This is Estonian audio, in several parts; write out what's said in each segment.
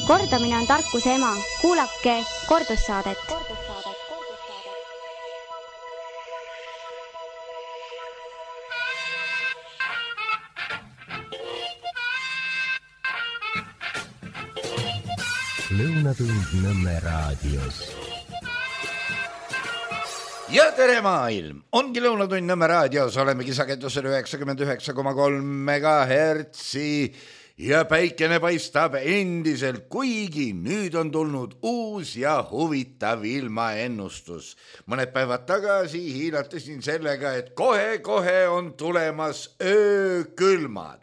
Kordamine on tarkuse ema. Kuulake kordussaadet. Lõunatund Nõmme raadios. Ja tere maailm! Ongi Lõunatund Nõmme raadios, olemegi sagedusel 99,3 megahertsi ja päikene paistab endiselt, kuigi nüüd on tulnud uus ja huvitav ilmaennustus. Mõned päevad tagasi hiilatasin sellega, et kohe-kohe on tulemas öökülmad.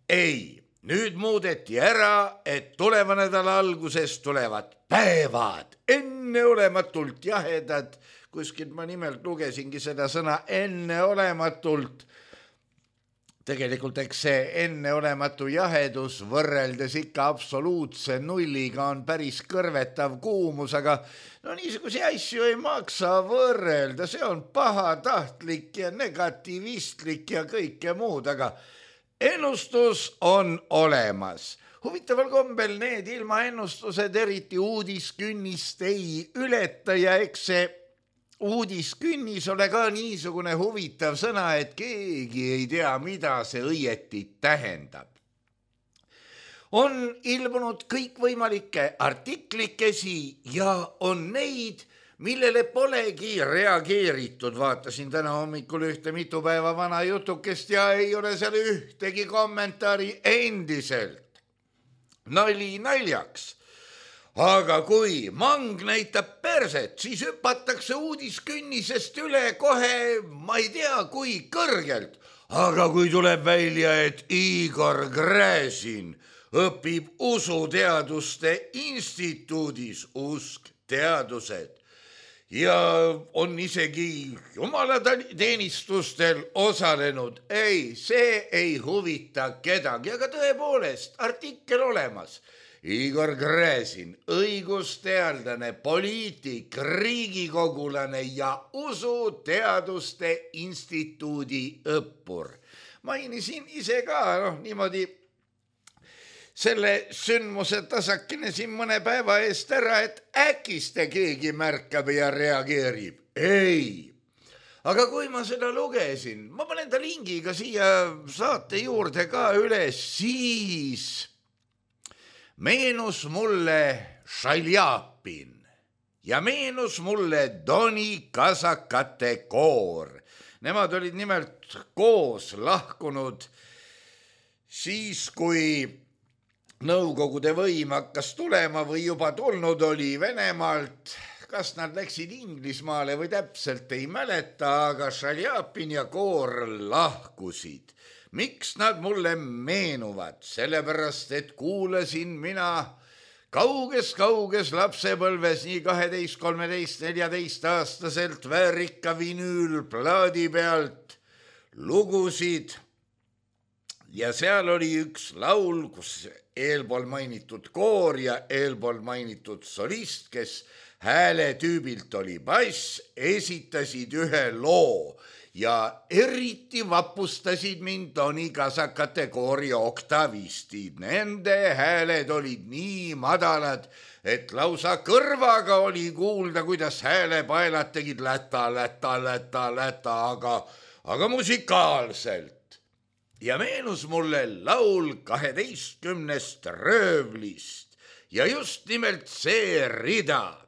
Ei, nüüd muudeti ära, et tuleva nädala alguses tulevad päevad, enneolematult jahedad. Kuskilt ma nimelt lugesingi seda sõna enneolematult. Tegelikult eks see enneolematu jahedus võrreldes ikka absoluutse nulliga on päris kõrvetav kuumus, aga no niisuguse asju ei maksa võrrelda, see on pahatahtlik ja negativistlik ja kõike muud, aga ennustus on olemas. Huvitaval kombel need ilmaennustused eriti uudiskünnist ei ületa ja eks see uudiskünnis ole ka niisugune huvitav sõna, et keegi ei tea, mida see õieti tähendab. On ilmunud kõikvõimalikke artiklikesi ja on neid, millele polegi reageeritud. Vaatasin täna hommikul ühte mitu päeva vana jutukest ja ei ole seal ühtegi kommentaari endiselt. Nali naljaks. Aga kui mang näitab perset, siis hüpatakse uudiskünnisest üle kohe, ma ei tea, kui kõrgelt. Aga kui tuleb välja, et Igor Gräzin õpib usuteaduste instituudis, usk teadused, ja on isegi jumalateenistustel osalenud, ei, see ei huvita kedagi, aga tõepoolest artikkel olemas. Igor Gräzin, õigusteadlane, poliitik, riigikogulane ja usuteaduste instituudi õppur. Mainisin ise ka niimoodi selle sündmuse tasakene siin mõne päeva eest ära, et äkiste keegi märkab ja reageerib. Ei. Aga kui ma seda lugesin, ma panen ta lingiga siia saate juurde ka üles, siis meenus mulle Šaljapin ja meenus mulle Doni kasakate koor. Nemad olid nimelt koos lahkunud siis, kui Nõukogude võim hakkas tulema või juba tulnud oli Venemaalt. Kas nad läksid Inglismaale või täpselt ei mäleta, aga Šaljapin ja koor lahkusid. Miks nad mulle meenuvad? Sellepärast, et kuulasin mina kauges lapsepõlves nii 12, 13, 14 aastaselt väärika vinüülplaadi pealt lugusid ja seal oli üks laul, kus eelpool mainitud koor ja eelpool mainitud solist, kes hääletüübilt oli bass, esitasid ühe loo ja eriti vapustasid mind Doni kasakate koori oktavistid. Nende hääled olid nii madalad, et lausa kõrvaga oli kuulda, kuidas häälepaelad tegid läta, aga musikaalselt. Ja meenus mulle laul 12 röövlist ja just nimelt see rida.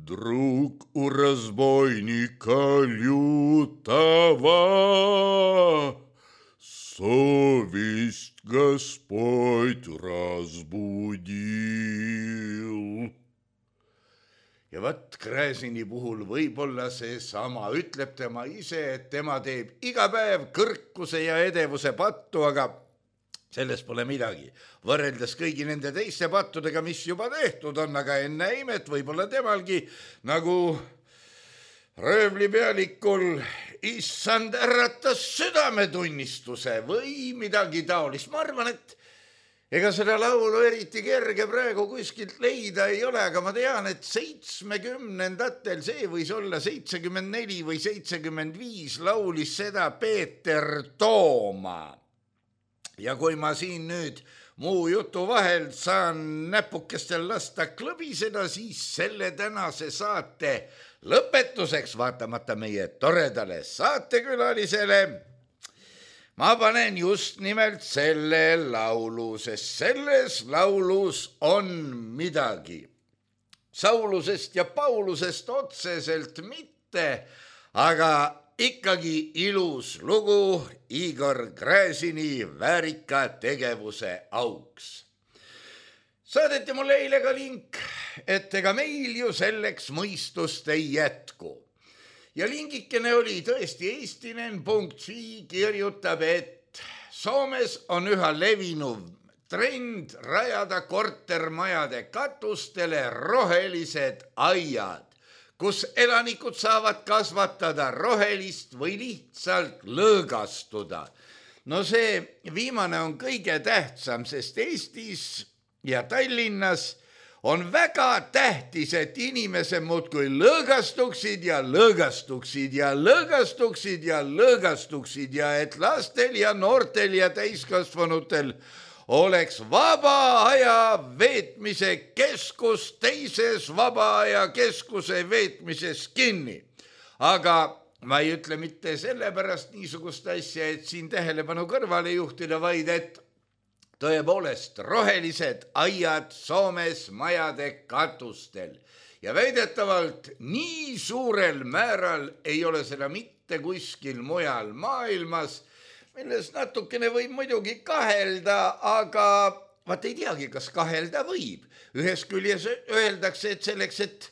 Друг у разбойника лютого, совесть Господь разбудил. Ja võt Gräzini puhul võib-olla see sama ütleb tema ise, et tema teeb iga päev kõrkuse ja edevuse pattu, aga selles pole midagi. Võrreldes kõigi nende teiste pattudega, mis juba tehtud on, aga enne imet võib-olla temalgi nagu röövlipealikul issand äratas südametunnistuse või midagi taolist. Ma arvan, et ega seda laulu eriti kerge praegu kuskilt leida ei ole, aga ma tean, et 70-ndatel, see võis olla 74 või 75, laulis seda Peeter Tooma. Ja kui ma siin nüüd muu jutu vahel saan näpukestel lasta klõbiseda, siis selle tänase saate lõpetuseks, vaatamata meie toredale saatekülalisele, ma panen just nimelt selle laulu, sest selles laulus on midagi. Saulusest ja Paulusest otseselt mitte, aga ikkagi ilus lugu Igor Gräzini väärika tegevuse auks. Saadeti mulle eile ka link, et ega meil ju selleks mõistust ei jätku. Ja lingikene oli tõesti eestinen.fi kirjutab, et Soomes on üha levinuv trend rajada kortermajade katustele rohelised aiad, kus elanikud saavad kasvatada rohelist või lihtsalt lõõgastuda. No see viimane on kõige tähtsam, sest Eestis ja Tallinnas on väga tähtis, et inimesed muudkui lõõgastuksid ja lõõgastuksid ja lõõgastuksid ja lõõgastuksid ja et lastel ja noortel ja täiskasvanutel oleks vaba aja veetmise keskus teises vaba aja keskuse veetmises kinni. Aga ma ei ütle mitte sellepärast niisugust asja, et siin tähelepanu kõrvale juhtida, vaid et tõepoolest rohelised aiad Soomes majade katustel. Ja väidetavalt nii suurel määral ei ole seda mitte kuskil mujal maailmas, milles natukene võib muidugi kahelda, aga vaat ei teagi, kas kahelda võib. Ühes küljes öeldakse, et selleks, et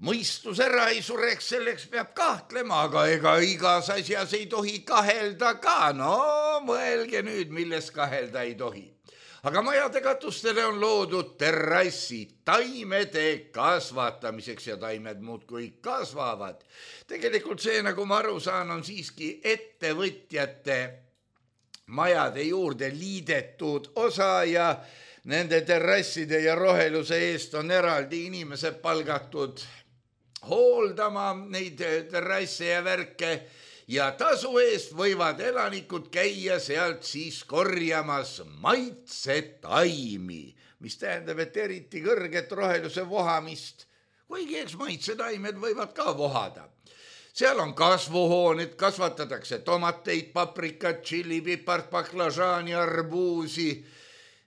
mõistus ära ei sureks, selleks peab kahtlema, aga ega igas asjas ei tohi kahelda ka. No mõelge nüüd, milles kahelda ei tohi. Aga majade katustele on loodud terrassid taimede kasvatamiseks ja taimed muudkui kasvavad. Tegelikult see, nagu ma aru saan, on siiski ettevõtjate majade juurde liidetud osa ja nende terrasside ja roheluse eest on eraldi inimesed palgatud hooldama neid terrasse ja värke ja tasu eest võivad elanikud käia sealt siis korjamas maitsetaimi, mis tähendab, et eriti kõrget roheluse vohamist, kuigi eks maitsetaimed võivad ka vohada. Seal on kasvuhooned, kasvatatakse tomateid, paprikat, tšillipipart, baklažaani, arbuusi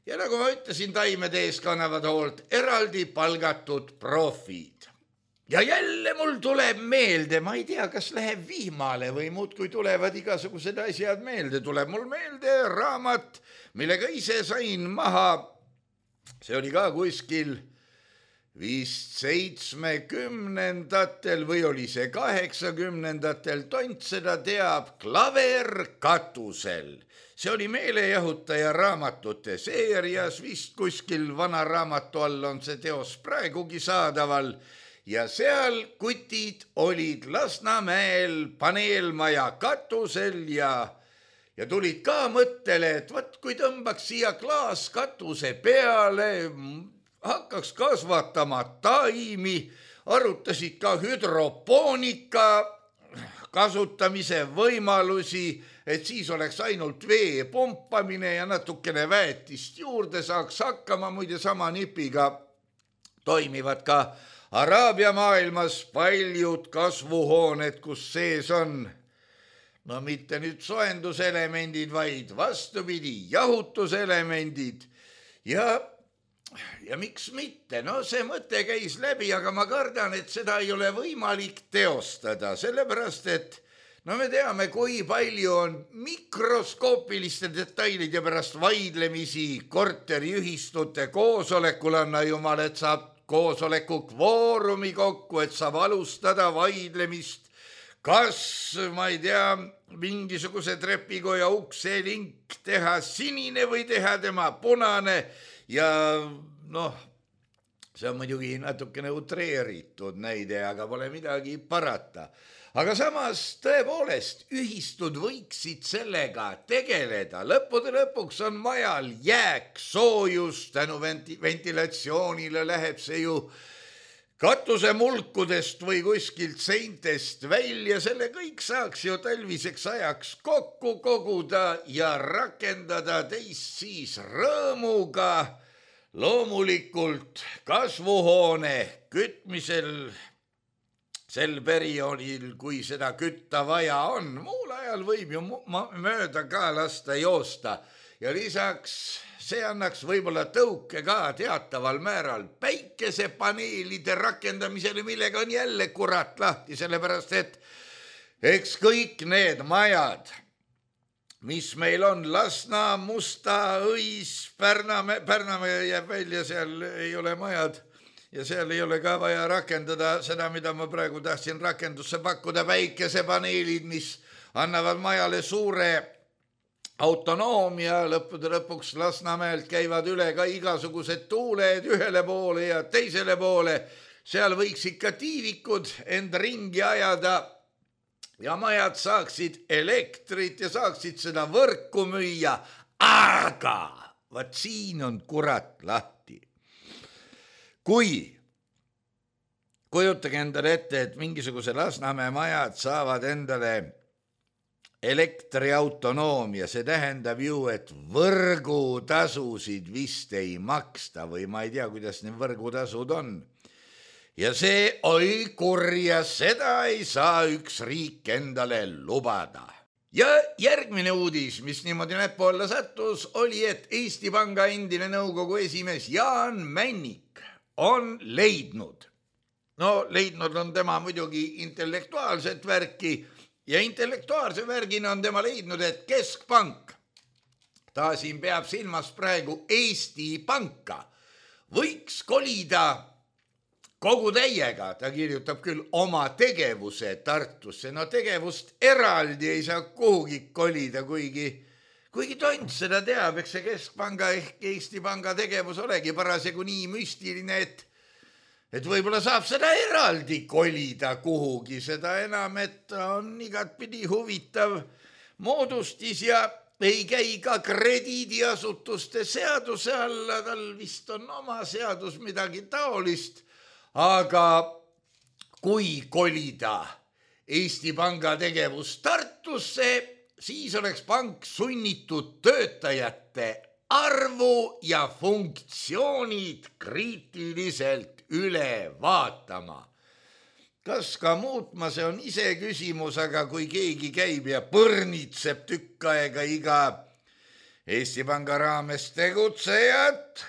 ja nagu ma ütlesin, taimede ees kannavad hoolt eraldi palgatud profid. Ja jälle mul tuleb meelde, ma ei tea, kas läheb vihmale või muudkui tulevad igasugused asjad meelde. Tuleb mul meelde raamat, millega ise sain maha. See oli ka kuskil vist 70-ndatel või oli see 80-ndatel, tont seda teab, Klaver katusel. See oli meelejahutaja raamatute seerias, vist kuskil vana raamatu all on see teos praegugi saadaval. Ja seal kutid olid Lasnamäel paneelmaja katusel ja tulid ka mõttele, et võt, kui tõmbaks siia klaaskatuse peale, hakkaks kasvatama taimi, arutasid ka hüdropoonika kasutamise võimalusi, et siis oleks ainult vee pumpamine ja natukene väetist juurde saaks hakkama, muide sama nipiga toimivad ka Araabia maailmas paljud kasvuhooned, kus sees on, no mitte nüüd soenduselemendid, vaid vastupidi, jahutuselemendid ja miks mitte, no see mõte käis läbi, aga ma kardan, et seda ei ole võimalik teostada, sellepärast et no me teame, kui palju on mikroskoopiliste detailide pärast vaidlemisi korteriühistute koosolekul, anna jumal, et saab koosoleku kvoorumi kokku, et saab alustada vaidlemist, kas, ma ei tea, mingisuguse trepikoja ukse link teha sinine või teha tema punane ja noh, see on muidugi natukene utreeritud näide, aga pole midagi parata. Aga samas tõepoolest ühistud võiksid sellega tegeleda. Lõppude lõpuks on majal jääksoojus, tänu ventilatsioonile läheb see ju katuse mulkudest või kuskilt seintest välja, selle kõik saaks ju talviseks ajaks kokku koguda ja rakendada teist siis rõõmuga. Loomulikult kasvuhoone kütmisel sel perioodil, kui seda kütta vaja on, muul ajal võib ju mööda ka lasta joosta ja lisaks see annaks võib-olla tõuke ka teataval määral päikesepaneelide rakendamisele, millega on jälle kurat lahti, sellepärast et eks kõik need majad, mis meil on, Lasna, Musta, Õis, Pärnamäe jääb välja, seal ei ole majad ja seal ei ole ka vaja rakendada seda, mida ma praegu tahtsin rakendusse pakkuda, päikesepaneelid, mis annavad majale suure autonoomia, lõppude lõpuks Lasnamäelt käivad üle ka igasugused tuuled ühele poole ja teisele poole, seal võiks ikka tiivikud end ringi ajada ja majad saaksid elektrit ja saaksid seda võrku müüa, aga vaat siin on kurat lahti. Kujutage endale ette, et mingisuguse Lasnamäe majad saavad endale elektriautonoomia, see tähendab ju, et võrgutasusid vist ei maksta või ma ei tea, kuidas need võrgutasud on. Ja see oi kurja, seda ei saa üks riik endale lubada. Ja järgmine uudis, mis niimoodi näppu alla sattus, oli, et Eesti Panga endine nõukogu esimees Jaan Männik on leidnud on tema muidugi intellektuaalset värki ja intellektuaalse värgina on tema leidnud, et Keskpank, ta siin peab silmas praegu Eesti Panka, võiks kolida kogu täiega, ta kirjutab küll oma tegevuse Tartusse, no tegevust eraldi ei saa kuhugi kolida, kuigi tont seda teab, eks see Keskpanga ehk Eesti Panga tegevus olegi parasjagu nii müstiline, et võib-olla saab seda eraldi kolida kuhugi, seda enam, et on igatpidi huvitav moodustis ja ei käi ka krediidiasutuste seaduse alla, tal vist on oma seadus midagi taolist, aga kui kolida Eesti Panga tegevus Tartusse, siis oleks pank sunnitud töötajate arvu ja funktsioonid kriitiliselt üle vaatama. Kas ka muutma, see on ise küsimus, aga kui keegi käib ja põrnitseb tükk aega iga Eesti Panga raames tegutsejat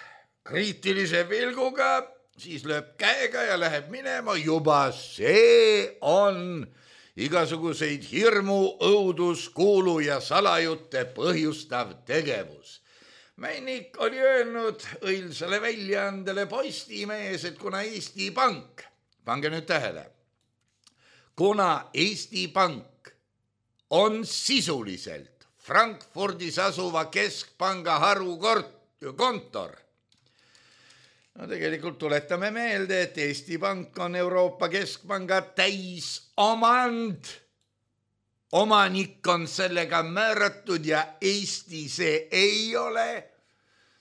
kriitilise pilguga, siis lööb käega ja läheb minema, juba see on igasuguseid hirmu, õudus, kuulu ja salajutte põhjustav tegevus. Männik oli öelnud õilsale väljaandele Postimees, et kuna Eesti Pank, pange nüüd tähele, kuna Eesti Pank on sisuliselt Frankfurdis asuva Keskpanga harukontor, no tegelikult tuletame meelde, et Eesti Pank on Euroopa Keskpanga täisomand, omanik on sellega määratud ja Eesti see ei ole.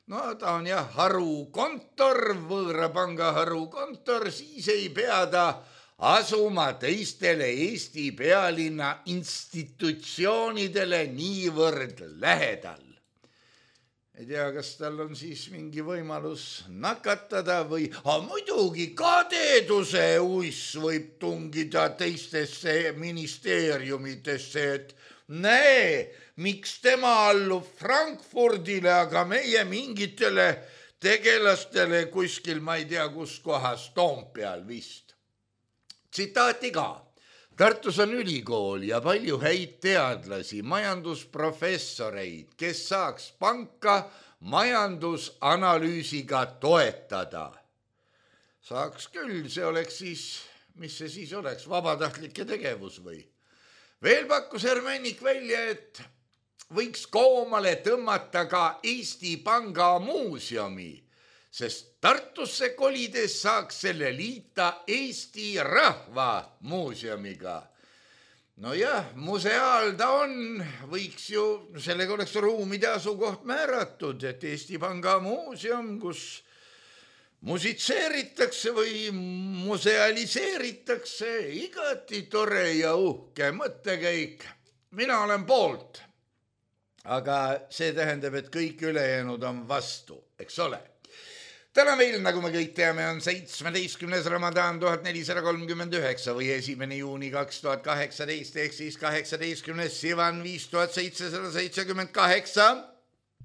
No ta on jah harukontor, võõra panga harukontor, siis ei pea ta asuma teistele Eesti pealinna institutsioonidele niivõrd lähedal. Ei tea, kas tal on siis mingi võimalus nakatada või muidugi kadeduse uiss võib tungida teistesse ministeeriumitesse, et näe, miks tema allub Frankfurdile, aga meie mingitele tegelastele kuskil, ma ei tea, kus kohas, Toompeal vist. Tsitaati ka. Tartus on ülikool ja palju häid teadlasi, majandusprofessoreid, kes saaks panka majandusanalüüsiga toetada. Saaks küll, see oleks siis, mis see siis oleks, vabatahtlike tegevus või? Veel pakkus Männik välja, et võiks koomale tõmmata ka Eesti Panga muuseumi, sest Tartusse kolides saaks selle liita Eesti Rahva Muuseumiga. No jah, museaal ta on, võiks ju, sellega oleks ruumide asukoht määratud, et Eesti Panga muuseum, kus musitseeritakse või musealiseeritakse, igati tore ja uhke mõttekäik. Mina olen poolt, aga see tähendab, et kõik ülejäänud on vastu, eks ole. Täna meil, nagu me kõik teame, on 17. Ramadan 1439 või 1. juuni 2018 ehk siis 18. Sivan 5778,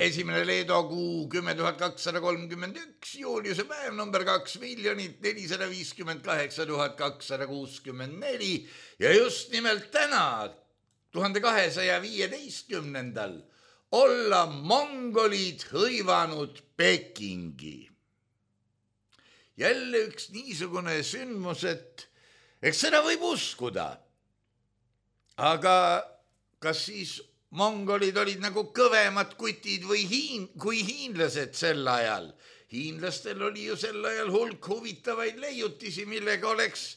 1. Leedo kuu 10 231, Juliuse päev number 2 458 264 ja just nimelt täna, 1215. olla mongolid hõivanud Pekingi. Jälle üks niisugune sündmus, et eks seda võib uskuda. Aga kas siis mongolid olid nagu kõvemad kutid või kui hiinlased sel ajal? Hiinlastel oli ju sel ajal hulk huvitavaid leiutisi, millega oleks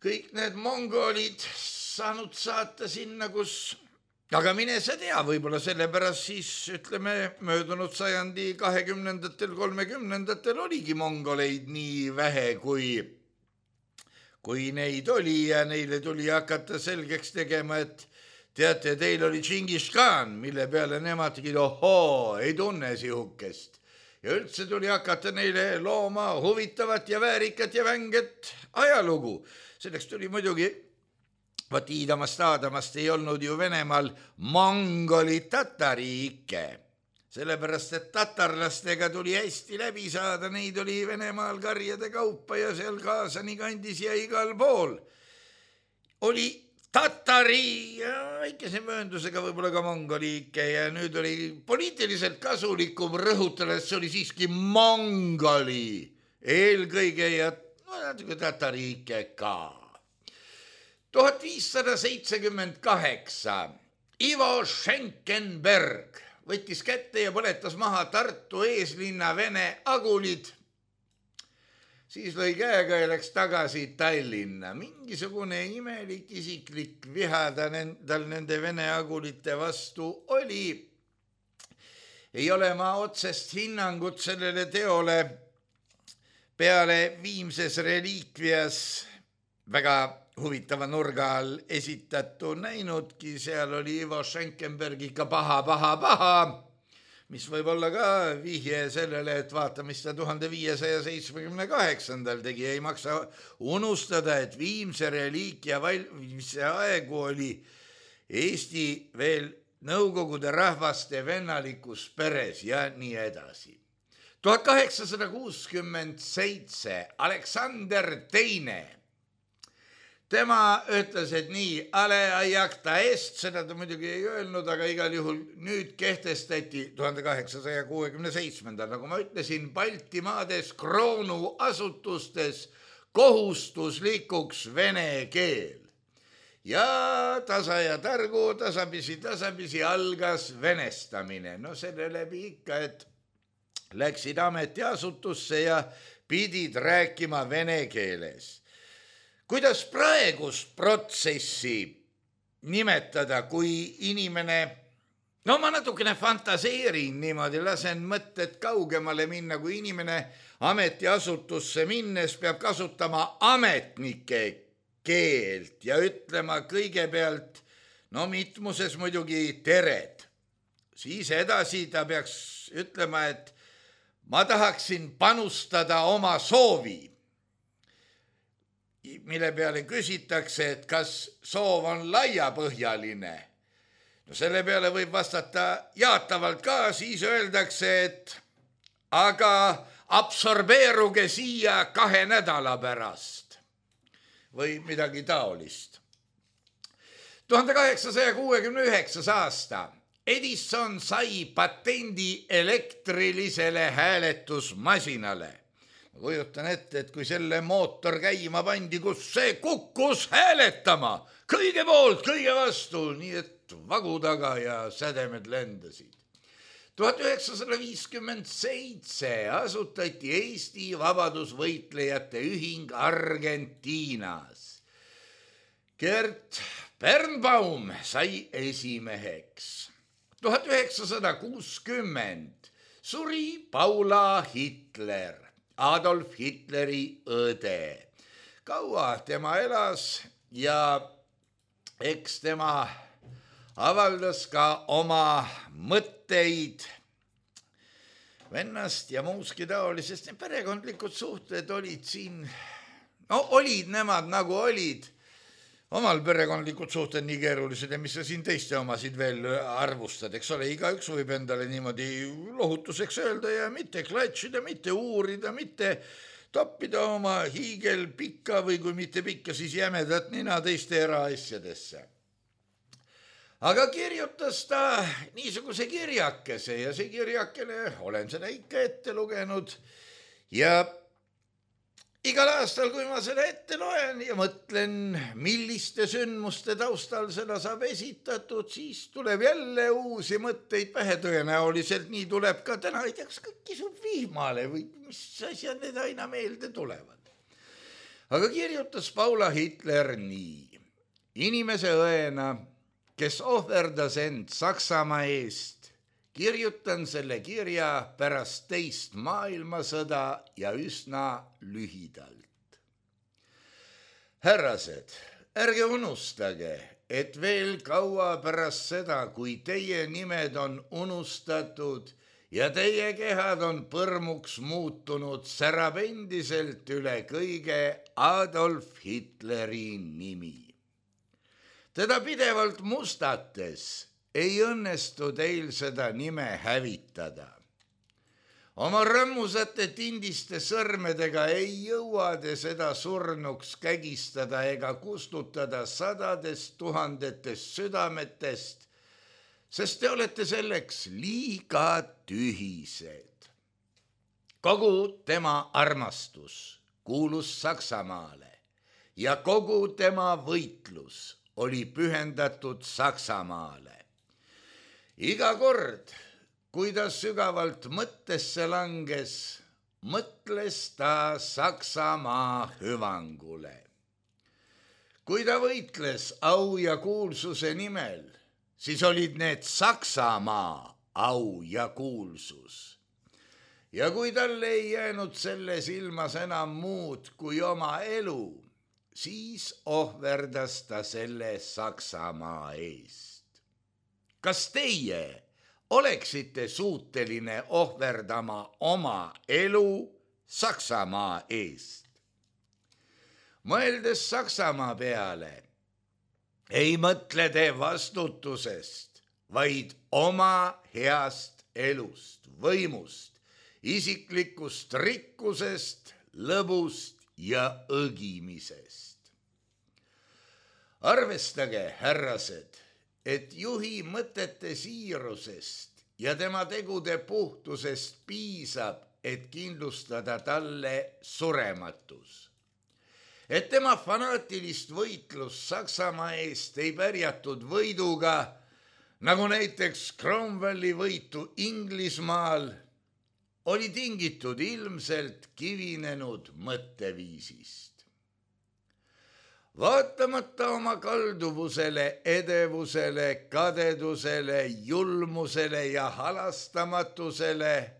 kõik need mongolid saanud saata sinna, kus... Aga mine sa tea, võib-olla sellepärast siis, ütleme, möödunud sajandi 20-ndatel, 30-ndatel oligi mongoleid nii vähe, kui neid oli ja neile tuli hakata selgeks tegema, et teate, teil oli Džingis Khan, mille peale nemadki, ohoo, ei tunne sihukest. Ja üldse tuli hakata neile looma huvitavat ja väärikat ja vänget ajalugu. Selleks tuli muidugi... Vaat Iidamast ei olnud ju Venemaal mongoli tatariike, sellepärast, et tatarlastega tuli hästi läbi saada, neid oli Venemaal karjade kaupa ja seal Kaasani kandis ja igal pool. Oli tatari ja väikese mööndusega võib-olla ka mongoliike ja nüüd oli poliitiliselt kasulikum rõhutada, et see oli siiski mongoli eelkõige ja natuke tatariike ka. 1578 Ivo Schenkenberg võttis kätte ja põletas maha Tartu eeslinna vene agulid. Siis lõi käega ja läks tagasi Tallinna. Mingisugune imelik isiklik viha tal nende vene agulite vastu oli. Ei ole ma otsest hinnangut sellele teole peale Viimses reliikvias väga huvitava nurga all esitatu näinudki, seal oli Ivo Schenkenberg ikka paha, mis võib olla ka vihje sellele, et vaata, mis ta 1578. tegi, ei maksa unustada, et Viimse reliikia valmimise aegu oli Eesti veel Nõukogude rahvaste vennalikus peres ja nii edasi. 1867 Aleksander II tema ütles, et nii, ale ajakta est, seda ta muidugi ei öelnud, aga igal juhul nüüd kehtestati 1867. Nagu ma ütlesin, Baltimaades kroonuasutustes kohustuslikuks vene keel. Ja tasa ja targu, tasapisi algas venestamine. No selle läbi ikka, et läksid ametiasutusse ja pidid rääkima vene keeles. Kuidas praegust protsessi nimetada, kui inimene, no ma natukene fantaseerin niimoodi, lasen mõtted kaugemale minna, kui inimene ametiasutusse minnes peab kasutama ametnike keelt ja ütlema kõigepealt, no mitmuses muidugi tered. Siis edasi ta peaks ütlema, et ma tahaksin panustada oma soovi, mille peale küsitakse, et kas soov on laiapõhjaline. No selle peale võib vastata jaatavalt ka, siis öeldakse, et aga absorbeeruge siia 2 nädala pärast või midagi taolist. 1869. aasta Edison sai patendi elektrilisele hääletusmasinale. Ma kujutan ette, et kui selle mootor käima pandi, kus see kukkus hääletama, kõige poolt, kõige vastu, nii et vagu taga ja sädemed lendasid. 1957 asutati Eesti vabadusvõitlejate ühing Argentiinas. Gert Birnbaum sai esimeheks. 1960 suri Paula Hitler. Adolf Hitleri õde. Kaua tema elas ja eks tema avaldas ka oma mõtteid vennast ja muuski taolisest. Need perekondlikud suhted olid siin, olid nemad nagu olid. Omal perekondlikud suhted nii keerulised ja mis sa siin teiste omasid veel arvustad, eks ole, igaüks võib endale niimoodi lohutuseks öelda ja mitte klatšida, mitte uurida, mitte toppida oma hiigel pikka või kui mitte pikka, siis jämedat nina teiste eraasjadesse. Aga kirjutas ta niisuguse kirjakese ja see kirjakene, olen seda ikka ette lugenud ja igal aastal, kui ma seda ette loen ja mõtlen, milliste sündmuste taustal seda saab esitatud, siis tuleb jälle uusi mõtteid pähe. Tõenäoliselt nii tuleb ka täna, ei tea, kas kõik kisub vihmale või mis asjad need aina meelde tulevad. Aga kirjutas Paula Hitler nii. Inimese õena, kes ohverdas end Saksamaa eest, kirjutan selle kirja pärast teist maailmasõda ja üsna lühidalt. Härrased, ärge unustage, et veel kaua pärast seda, kui teie nimed on unustatud ja teie kehad on põrmuks muutunud, särab endiselt üle kõige Adolf Hitleri nimi. Teda pidevalt mustates ei õnnestu teil seda nime hävitada. Oma rõmmusate tindiste sõrmedega ei jõua te seda surnuks kägistada ega kustutada sadadest tuhandetest südametest, sest te olete selleks liiga tühised. Kogu tema armastus kuulus Saksamaale ja kogu tema võitlus oli pühendatud Saksamaale. Iga kord, kui ta sügavalt mõttesse langes, mõtles ta Saksamaa hüvangule. Kui ta võitles au ja kuulsuse nimel, siis olid need Saksamaa au ja kuulsus. Ja kui talle ei jäänud selles ilmas enam muud kui oma elu, siis ohverdas ta selle Saksamaa eest. Kas teie oleksite suuteline ohverdama oma elu Saksamaa eest? Mõeldes Saksamaa peale, ei mõtle te vastutusest, vaid oma heast elust, võimust, isiklikust rikkusest, lõbust ja õgimisest. Arvestage, härrased, et juhi mõtete siirusest ja tema tegude puhtusest piisab, et kindlustada talle surematus. Et tema fanaatilist võitlust Saksamaa eest ei pärjatud võiduga, nagu näiteks Cromwelli võitu Inglismaal, oli tingitud ilmselt kivinenud mõtteviisist. Vaatamata oma kalduvusele, edevusele, kadedusele, julmusele ja halastamatusele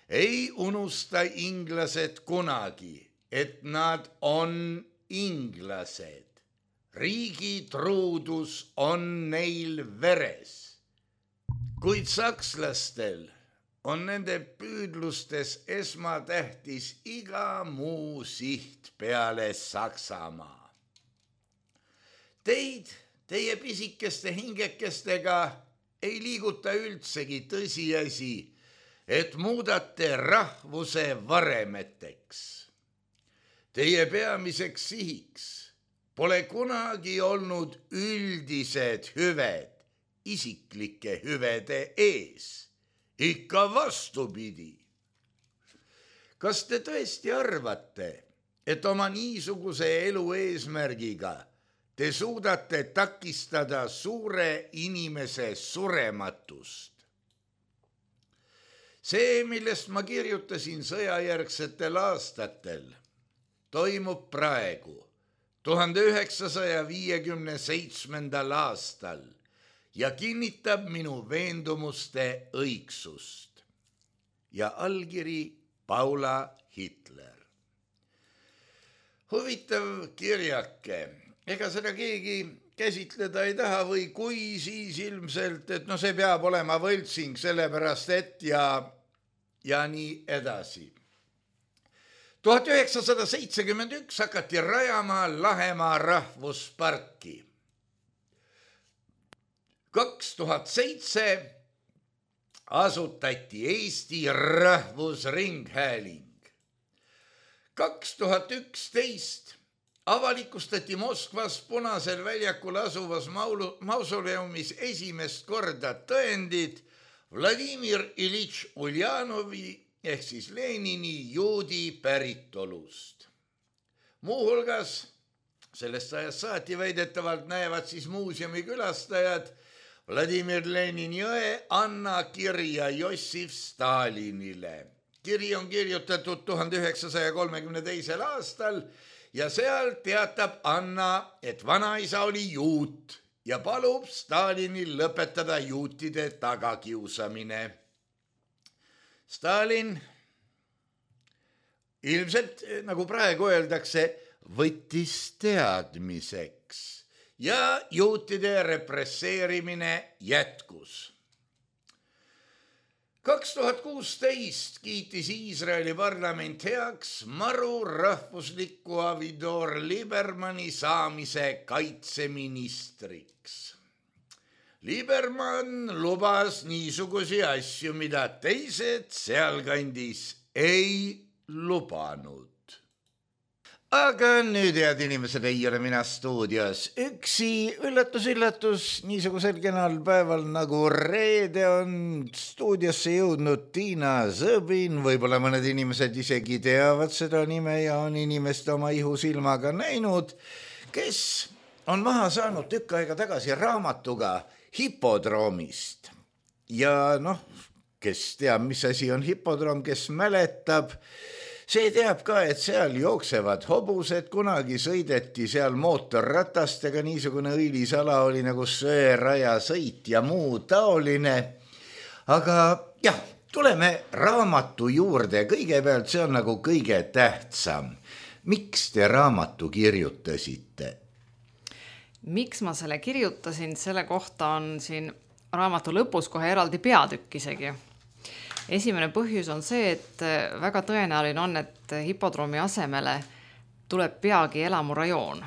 ei unusta inglased kunagi, et nad on inglased. Riigi truudus on neil veres. Kuid sakslastel on nende püüdlustes esmatähtis iga muu siht peale Saksamaa. Teid, teie pisikeste hingekestega ei liiguta üldsegi tõsiasi, et muudate rahvuse varemeteks. Teie peamiseks sihiks pole kunagi olnud üldised hüved isiklike hüvede ees, ikka vastupidi. Kas te tõesti arvate, et oma niisuguse elu eesmärgiga te suudate takistada suure inimese surematust? See, millest ma kirjutasin sõjajärgsetel aastatel, toimub praegu, 1957. aastal ja kinnitab minu veendumuste õigsust. Ja allkiri Paula Hitler. Huvitav kirjake, ega seda keegi käsitleda ei taha või kui siis ilmselt, et see peab olema võltsing sellepärast, et ja nii edasi. 1971 hakati rajama Lahemaa rahvusparki. 2007 asutati Eesti Rahvusringhääling. 2011 avalikustati Moskvas Punasel väljakul asuvas mausoleumis esimest korda tõendid Vladimir Iljitš Uljanovi ehk siis Lenini juudi päritolust. Muuhulgas sellest ajast saati väidetavalt näevad siis muuseumi külastajad Vladimir Lenini õe Anna kirja Jossif Stalinile. Kiri on kirjutatud 1932. aastal ja seal teatab Anna, et vanaisa oli juut ja palub Stalinil lõpetada juutide tagakiusamine. Stalin ilmselt, nagu praegu öeldakse, võttis teadmiseks ja juutide represseerimine jätkus. 2016 kiitis Iisraeli parlament heaks Maru rahvusliku Avigdor Liebermanni saamise kaitseministriks. Liebermann lubas niisugusi asju, mida teised sealkandis ei lubanud. Aga nüüd, head inimesed, ei ole mina stuudios. Üksi üllatus, niisugusel kenal päeval nagu reede on stuudiosse jõudnud Tiina Zõbin. Võib-olla mõned inimesed isegi teavad seda nime ja on inimest oma ihusilmaga näinud, kes on maha saanud tükk aega tagasi raamatuga Hipodroomist. Ja kes teab, mis asi on hipodroom, kes mäletab, see teab ka, et seal jooksevad hobused, kunagi sõideti seal mootorratastega, niisugune õilisala oli nagu söeraja sõit ja muu taoline. Aga jah, tuleme raamatu juurde. Kõigepealt see on nagu kõige tähtsam. Miks te raamatu kirjutasite? Miks ma selle kirjutasin? Selle kohta on siin raamatu lõpus kohe eraldi peatükk isegi. Esimene põhjus on see, et väga tõenäoline on, et hipodroomi asemele tuleb peagi elamurajoon.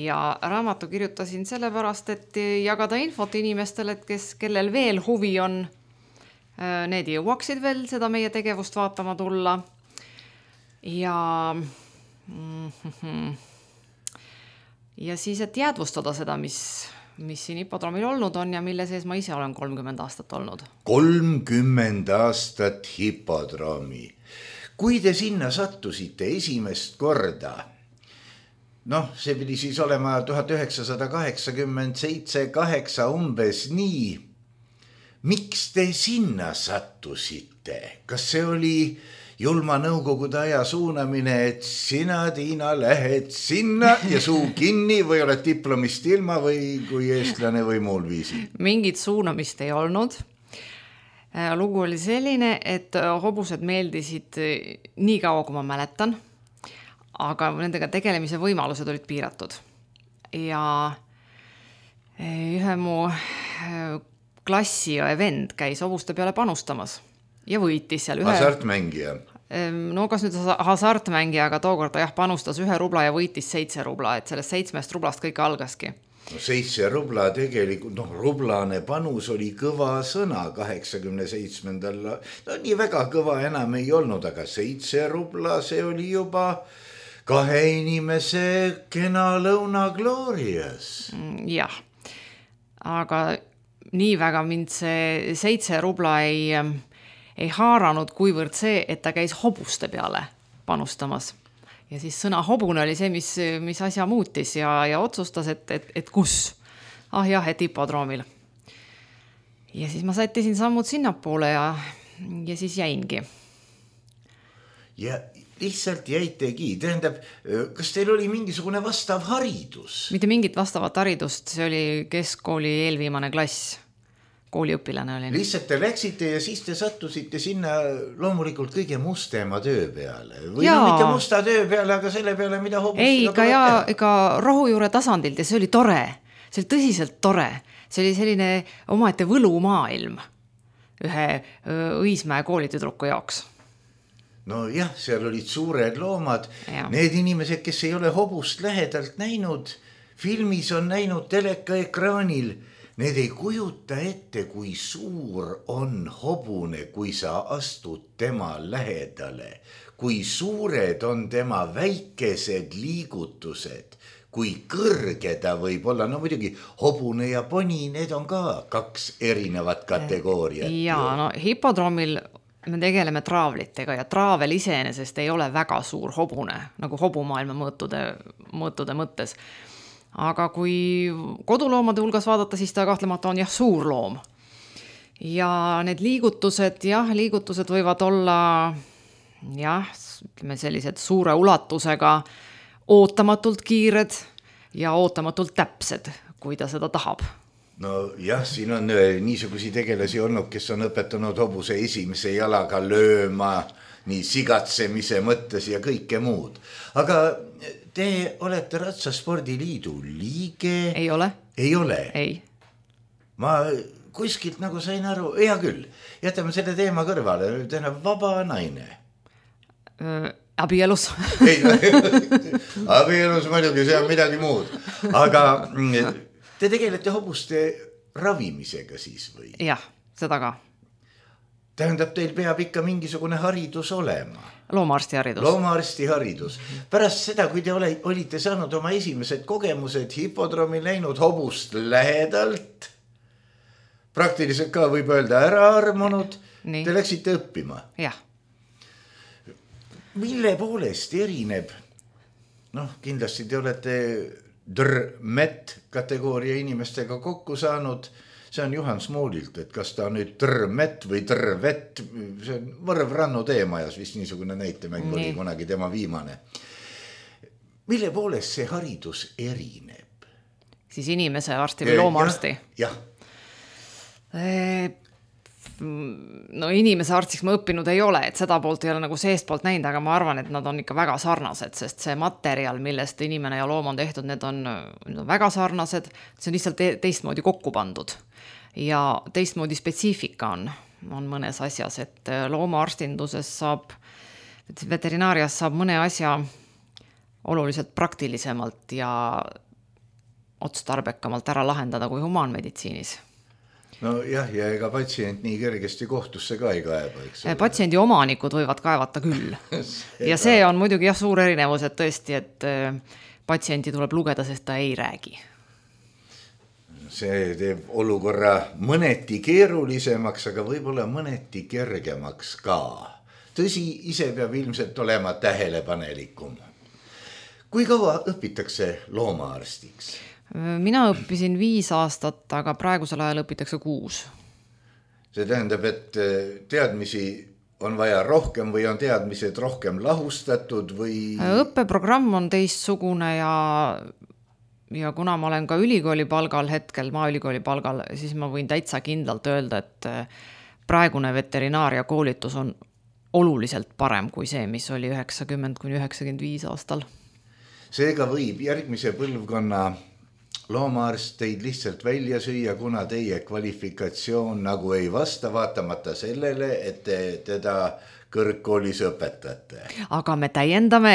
Ja raamatu kirjutasin sellepärast, et jagada infot inimestele, kellel veel huvi on, need jõuaksid veel seda meie tegevust vaatama tulla. Ja siis, et jäädvustada seda, mis siin hipodroomil olnud on ja mille sees ma ise olen 30 aastat olnud. 30 aastat hipodroomi. Kui te sinna sattusite esimest korda, see pidi siis olema 1987-8 umbes nii. Miks te sinna sattusite? Kas see oli julma nõukogude aja suunamine, et sina, Tiina, lähed sinna ja suu kinni või oled diplomist ilma või kui eestlane või muul viisil? Mingit suunamist ei olnud. Lugu oli selline, et hobused meeldisid nii kaua, kui ma mäletan, aga nendega tegelemise võimalused olid piiratud. Ja ühe mu klassi vend käis hobuste peale panustamas. Ja võitis seal Hasartmängija. Kas nüüd hasartmängija, aga tookord ta panustas 1 rubla ja võitis 7 rubla, et sellest 7 rublast kõik algaski. 7 rubla tegelikult, rublane panus oli kõva sõna 87. Nii väga kõva enam ei olnud, aga 7 rubla, see oli juba 2 inimese kena lõuna gloorias. Jah, aga nii väga mind see 7 rubla ei haaranud, kuivõrd see, et ta käis hobuste peale panustamas. Ja siis sõna hobune oli see, mis asja muutis ja otsustas, et kus? Et hipodroomil. Ja siis ma sättisin sammud sinnapoole ja siis jäingi. Ja lihtsalt jäitegi. Tähendab, kas teil oli mingisugune vastav haridus? Mitte mingit vastavat haridust, see oli keskkooli eelviimane klass. kooliõpilane olin. Lihtsalt te läksite ja siis te sattusite sinna loomulikult kõige mustema töö peale. Või no mitte musta töö peale, aga selle peale, mida hobustega tuleb teha. Ega rohujuure tasandilt ja see oli tore. See oli tõsiselt tore. See oli selline omaette võlumaailm ühe Õismäe koolitüdruku jaoks. No jah, seal olid suured loomad. Ja. Need inimesed, kes ei ole hobust lähedalt näinud, filmis on näinud telekaekraanil, need ei kujuta ette, kui suur on hobune, kui sa astud tema lähedale, kui suured on tema väikesed liigutused, kui kõrge ta võib olla. No muidugi hobune ja poni, need on ka 2 erinevat kategooriat. Ja no hipodroomil me tegeleme traavlitega ja traavel iseenesest ei ole väga suur hobune, nagu hobumaailma mõõtude mõttes. Aga kui koduloomade hulgas vaadata, siis ta kahtlemata on suur loom. Ja need liigutused võivad olla ütleme sellised suure ulatusega, ootamatult kiired ja ootamatult täpsed, kui ta seda tahab. No jah, siin on niisugusi tegelasi olnud, kes on õpetanud hobuse esimese jalaga lööma, nii sigatsemise mõttes ja kõike muud. Aga te olete Ratsaspordiliidu liige? Ei ole. Ei ole? Ei. Ma kuskilt nagu sain aru, hea küll, jätame selle teema kõrvale, vaba naine. Abielus. Abielus muidugi, see on midagi muud. Aga te tegelete hobuste ravimisega siis või? Jah, seda ka. Tähendab, teil peab ikka mingisugune haridus olema. Loomaarsti haridus. Loomaarsti haridus. Pärast seda, kui te olite saanud oma esimesed kogemused hipodroomil näinud hobust lähedalt, praktiliselt ka võib öelda ära armunud, te läksite õppima. Jah. Mille poolest erineb? Kindlasti te olete drmet kategooria inimestega kokku saanud. See on Juhan Smoolilt, et kas ta nüüd drmet või drvet, see on Võrv Rannu teemajas vist niisugune näitemäng oli kunagi tema viimane. Mille poolest see haridus erineb? Siis inimese arsti või loomaarsti? Jah. No inimese arstiks ma õppinud ei ole, et seda poolt ei ole nagu seest poolt näinud, aga ma arvan, et nad on ikka väga sarnased, sest see materjal, millest inimene ja loom on tehtud, need on väga sarnased, see on lihtsalt teistmoodi kokku pandud ja teistmoodi spetsiifika on mõnes asjas, et loomaarstindusest saab, veterinaarias saab mõne asja oluliselt praktilisemalt ja otstarbekamalt ära lahendada kui humaanmeditsiinis. No jah, ja ega patsient nii kergesti kohtusse ka ei kaeba, eks ole. Patsiendi omanikud võivad kaevata küll. Ja see on muidugi suur erinevus, et tõesti, et patsienti tuleb lugeda, sest ta ei räägi. See teeb olukorra mõneti keerulisemaks, aga võib-olla mõneti kergemaks ka. Tõsi, ise peab ilmselt olema tähelepanelikum. Kui kaua õpitakse loomaarstiks? Mina õppisin 5 aastat, aga praegusel ajal õpitakse 6. See tähendab, et teadmisi on vaja rohkem või on teadmised rohkem lahustatud või? Õppeprogramm on teistsugune ja kuna ma olen ka ülikooli palgal hetkel, maaülikooli palgal, siis ma võin täitsa kindlalt öelda, et praegune veterinaaria koolitus on oluliselt parem kui see, mis oli 90–95 aastal. Seega võib järgmise põlvkonna loomaarst teid lihtsalt välja süüa, kuna teie kvalifikatsioon nagu ei vasta, vaatamata sellele, et te teda kõrgkoolis õpetate. Aga me täiendame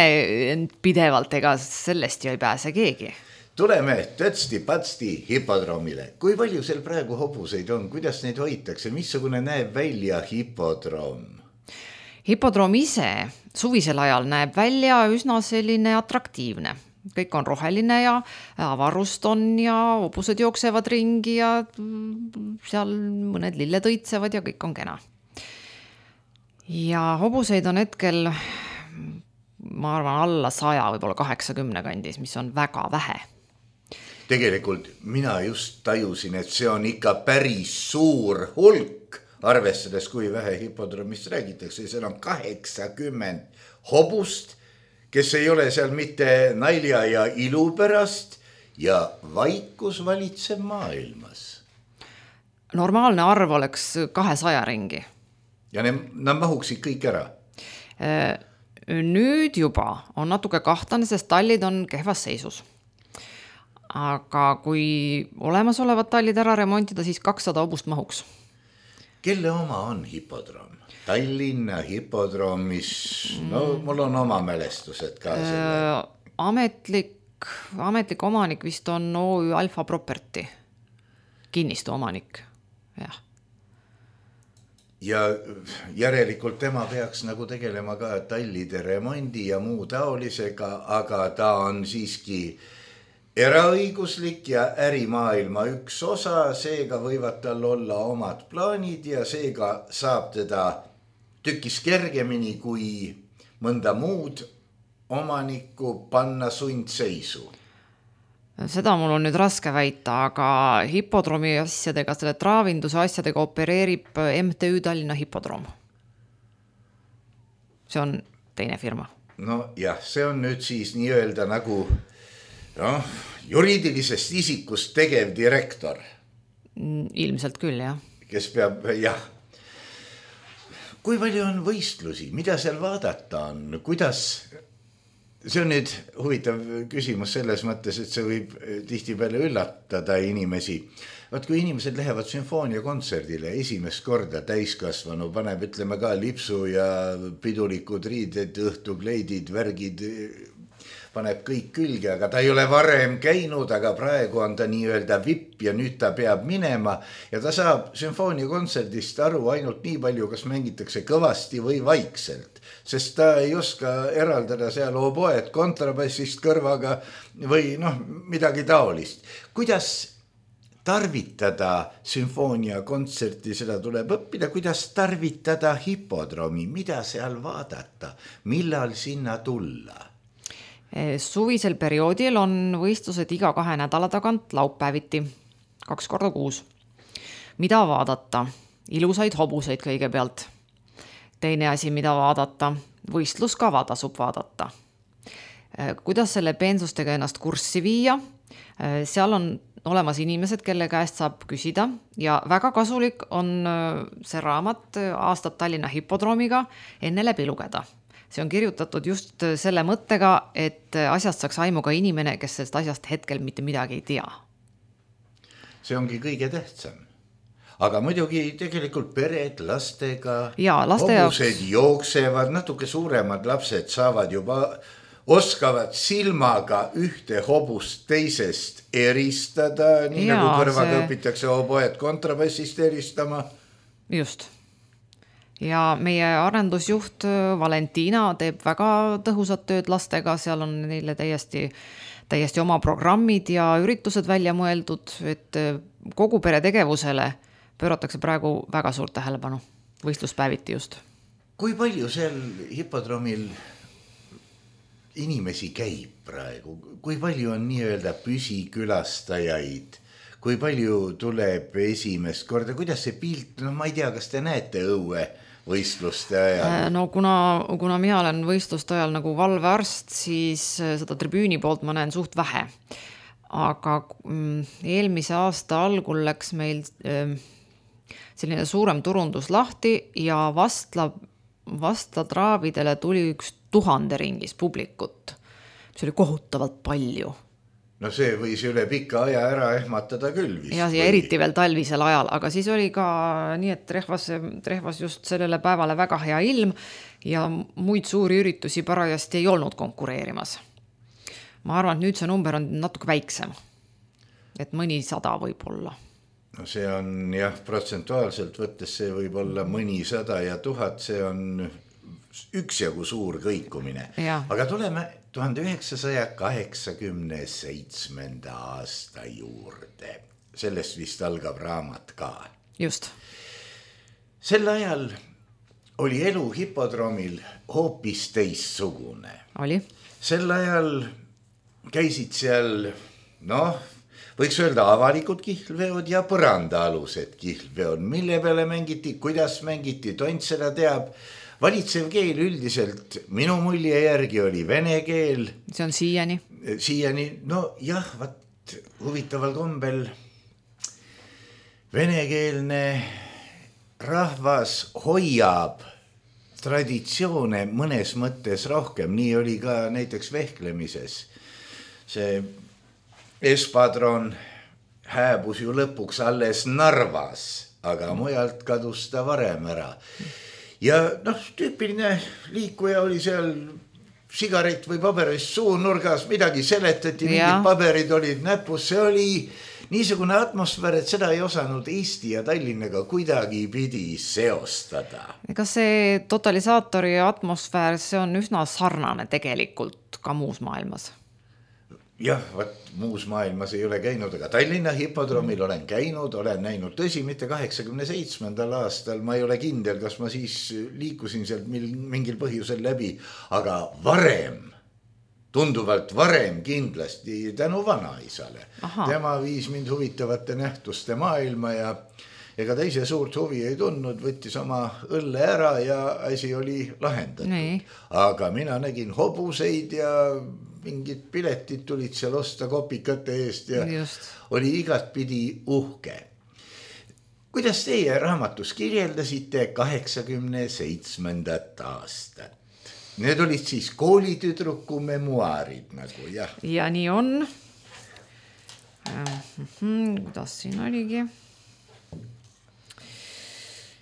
pidevalt, ega sellest ju ei pääse keegi. Tuleme tõtsti-patsti hipodroomile. Kui palju seal praegu hobuseid on? Kuidas neid hoitakse? Missugune näeb välja hipodroom? Hipodroom ise suvisel ajal näeb välja üsna selline atraktiivne. Kõik on roheline ja avarust on ja hobused jooksevad ringi ja seal mõned lilled õitsevad ja kõik on kena. Ja hobuseid on hetkel, ma arvan, alla 100, võib-olla 80 kandis, mis on väga vähe. Tegelikult mina just tajusin, et see on ikka päris suur hulk, arvestades kui vähe hipodroomist räägitakse. Seal on 80 hobust, kes ei ole seal mitte nalja ja ilu pärast ja vaikus valitseb maailmas. normaalne arv oleks 200 ringi. Ja nad mahuksid kõik ära? Nüüd juba on natuke kahtlane, sest tallid on kehvas seisus. Aga kui olemasolevad tallid ära remontida, siis 200 hobust mahuks. Kelle oma on hipodroom? Tallinna hipodroom, mis, no mul on oma mälestused ka selle. Ametlik omanik vist on OÜ Alfa Property, kinnistu omanik, jah. Ja järelikult tema peaks nagu tegelema ka tallide remondi ja muu taolisega, aga ta on siiski eraõiguslik ja ärimaailma üks osa, seega võivad tal olla omad plaanid ja seega saab teda tükis kergemini kui mõnda muud omanikku panna sundseisu. Seda mul on nüüd raske väita, aga hipodroomi asjadega, selle traavinduse asjadega opereerib MTÜ Tallinna Hipodroom. See on teine firma. No jah, see on nüüd siis nii-öelda nagu juriidilisest isikust tegev direktor. Ilmselt küll, jah. Kes peab, jah. Kui palju on võistlusi, mida seal vaadata on, kuidas... See on nüüd huvitav küsimus selles mõttes, et see võib tihtipeale üllatada inimesi. Vaat kui inimesed lähevad sümfooniakontserdile esimest korda täiskasvanu, paneb ütleme ka lipsu ja pidulikud riided, õhtukleidid, värgid, paneb kõik külge, aga ta ei ole varem käinud, aga praegu on ta nii-öelda vipp ja nüüd ta peab minema ja ta saab sümfooniakontserdist aru ainult nii palju, kas mängitakse kõvasti või vaikselt, sest ta ei oska eraldada seal oboed kontrabassist kõrvaga või midagi taolist. Kuidas tarvitada sümfooniakontserti, seda tuleb õppida, kuidas tarvitada hipodroomi, mida seal vaadata, millal sinna tulla? Suvisel perioodil on võistlused iga 2 nädala tagant laupäeviti, 2 korda kuus. Mida vaadata? Ilusaid hobuseid kõigepealt. Teine asi, mida vaadata? Võistluskava tasub vaadata. Kuidas selle peensustega ennast kurssi viia? Seal on olemas inimesed, kelle käest saab küsida ja väga kasulik on see raamat Aastad Tallinna hipodroomiga enne läbi lugeda. See on kirjutatud just selle mõttega, et asjast saaks aimu ka inimene, kes sellest asjast hetkel mitte midagi ei tea. See ongi kõige tähtsam. Aga muidugi tegelikult pered lastega, hobused jooksevad, natuke suuremad lapsed saavad juba, oskavad silmaga ühte hobust teisest eristada, nii nagu kõrvaga õpitakse oboed kontrabassist eristama. Just. Ja meie arendusjuht Valentina teeb väga tõhusat tööd lastega, seal on neile täiesti oma programmid ja üritused välja mõeldud, et kogu pere tegevusele pööratakse praegu väga suurt tähelepanu, võistluspäeviti just. Kui palju seal hipodroomil inimesi käib praegu? Kui palju on nii-öelda püsikülastajaid? Kui palju tuleb esimest korda? Kuidas see pilt, ma ei tea, kas te näete õue võistluste ajal? No kuna mina olen võistluste ajal nagu valvearst, siis seda tribüüni poolt ma näen suht vähe. Aga eelmise aasta algul läks meil selline suurem turundus lahti ja vastla traavidele tuli 1000 ringis publikut. See oli kohutavalt palju. No see võis üle pika aja ära ehmatada küll vist. Ja eriti veel talvisel ajal, aga siis oli ka nii, et trehvas just sellele päevale väga hea ilm ja muid suuri üritusi parajasti ei olnud konkureerimas. Ma arvan, et nüüd see number on natuke väiksem, et mõni 100 võib olla. No see on jah, protsentuaalselt võttes see võib olla mõni 100 ja 1000, see on üksjagu suur kõikumine. Ja. Aga tuleme 1987. aasta juurde. Sellest vist algab raamat ka. Just. Sel ajal oli elu hipodroomil hoopis teissugune. Oli. Sel ajal käisid seal, võiks öelda avalikud kihlveod ja põrandaalused kihlveod, mille peale mängiti, kuidas mängiti, tont seda teab. Valitsev keel üldiselt minu mulje järgi oli vene keel. See on siiani. Siiani, no jah, huvitaval kombel Venekeelne rahvas hoiab traditsioone mõnes mõttes rohkem, nii oli ka näiteks vehklemises. See espadron hääbus ju lõpuks alles Narvas, aga mujalt kadus ta varem ära. Ja tüüpiline liikuja oli seal sigaret või paberist suunurgas, midagi seletati, mingid paberid olid näpus, see oli niisugune atmosfäär, et seda ei osanud Eesti ja Tallinnaga kuidagi pidi seostada. Ega see totalisaatori atmosfäär, see on üsna sarnane tegelikult ka muus maailmas. Jah, muus maailmas ei ole käinud, aga Tallinna hipodroomil olen käinud, olen näinud, tõsi, mitte 87. aastal, ma ei ole kindel, kas ma siis liikusin sealt mingil põhjusel läbi, aga varem, tunduvalt varem kindlasti tänu vanaisale. Tema viis mind huvitavate nähtuste maailma ja ega ta ise suurt huvi ei tundnud, võttis oma õlle ära ja asi oli lahendatud. Nii. Aga mina nägin hobuseid ja mingid piletid tulid seal osta kopikate eest ja oli igatpidi uhke. Kuidas teie raamatus kirjeldasite 87. aastat? Need olid siis koolitüdruku memuaarid nagu, jah. Ja nii on. Kuidas siin oligi?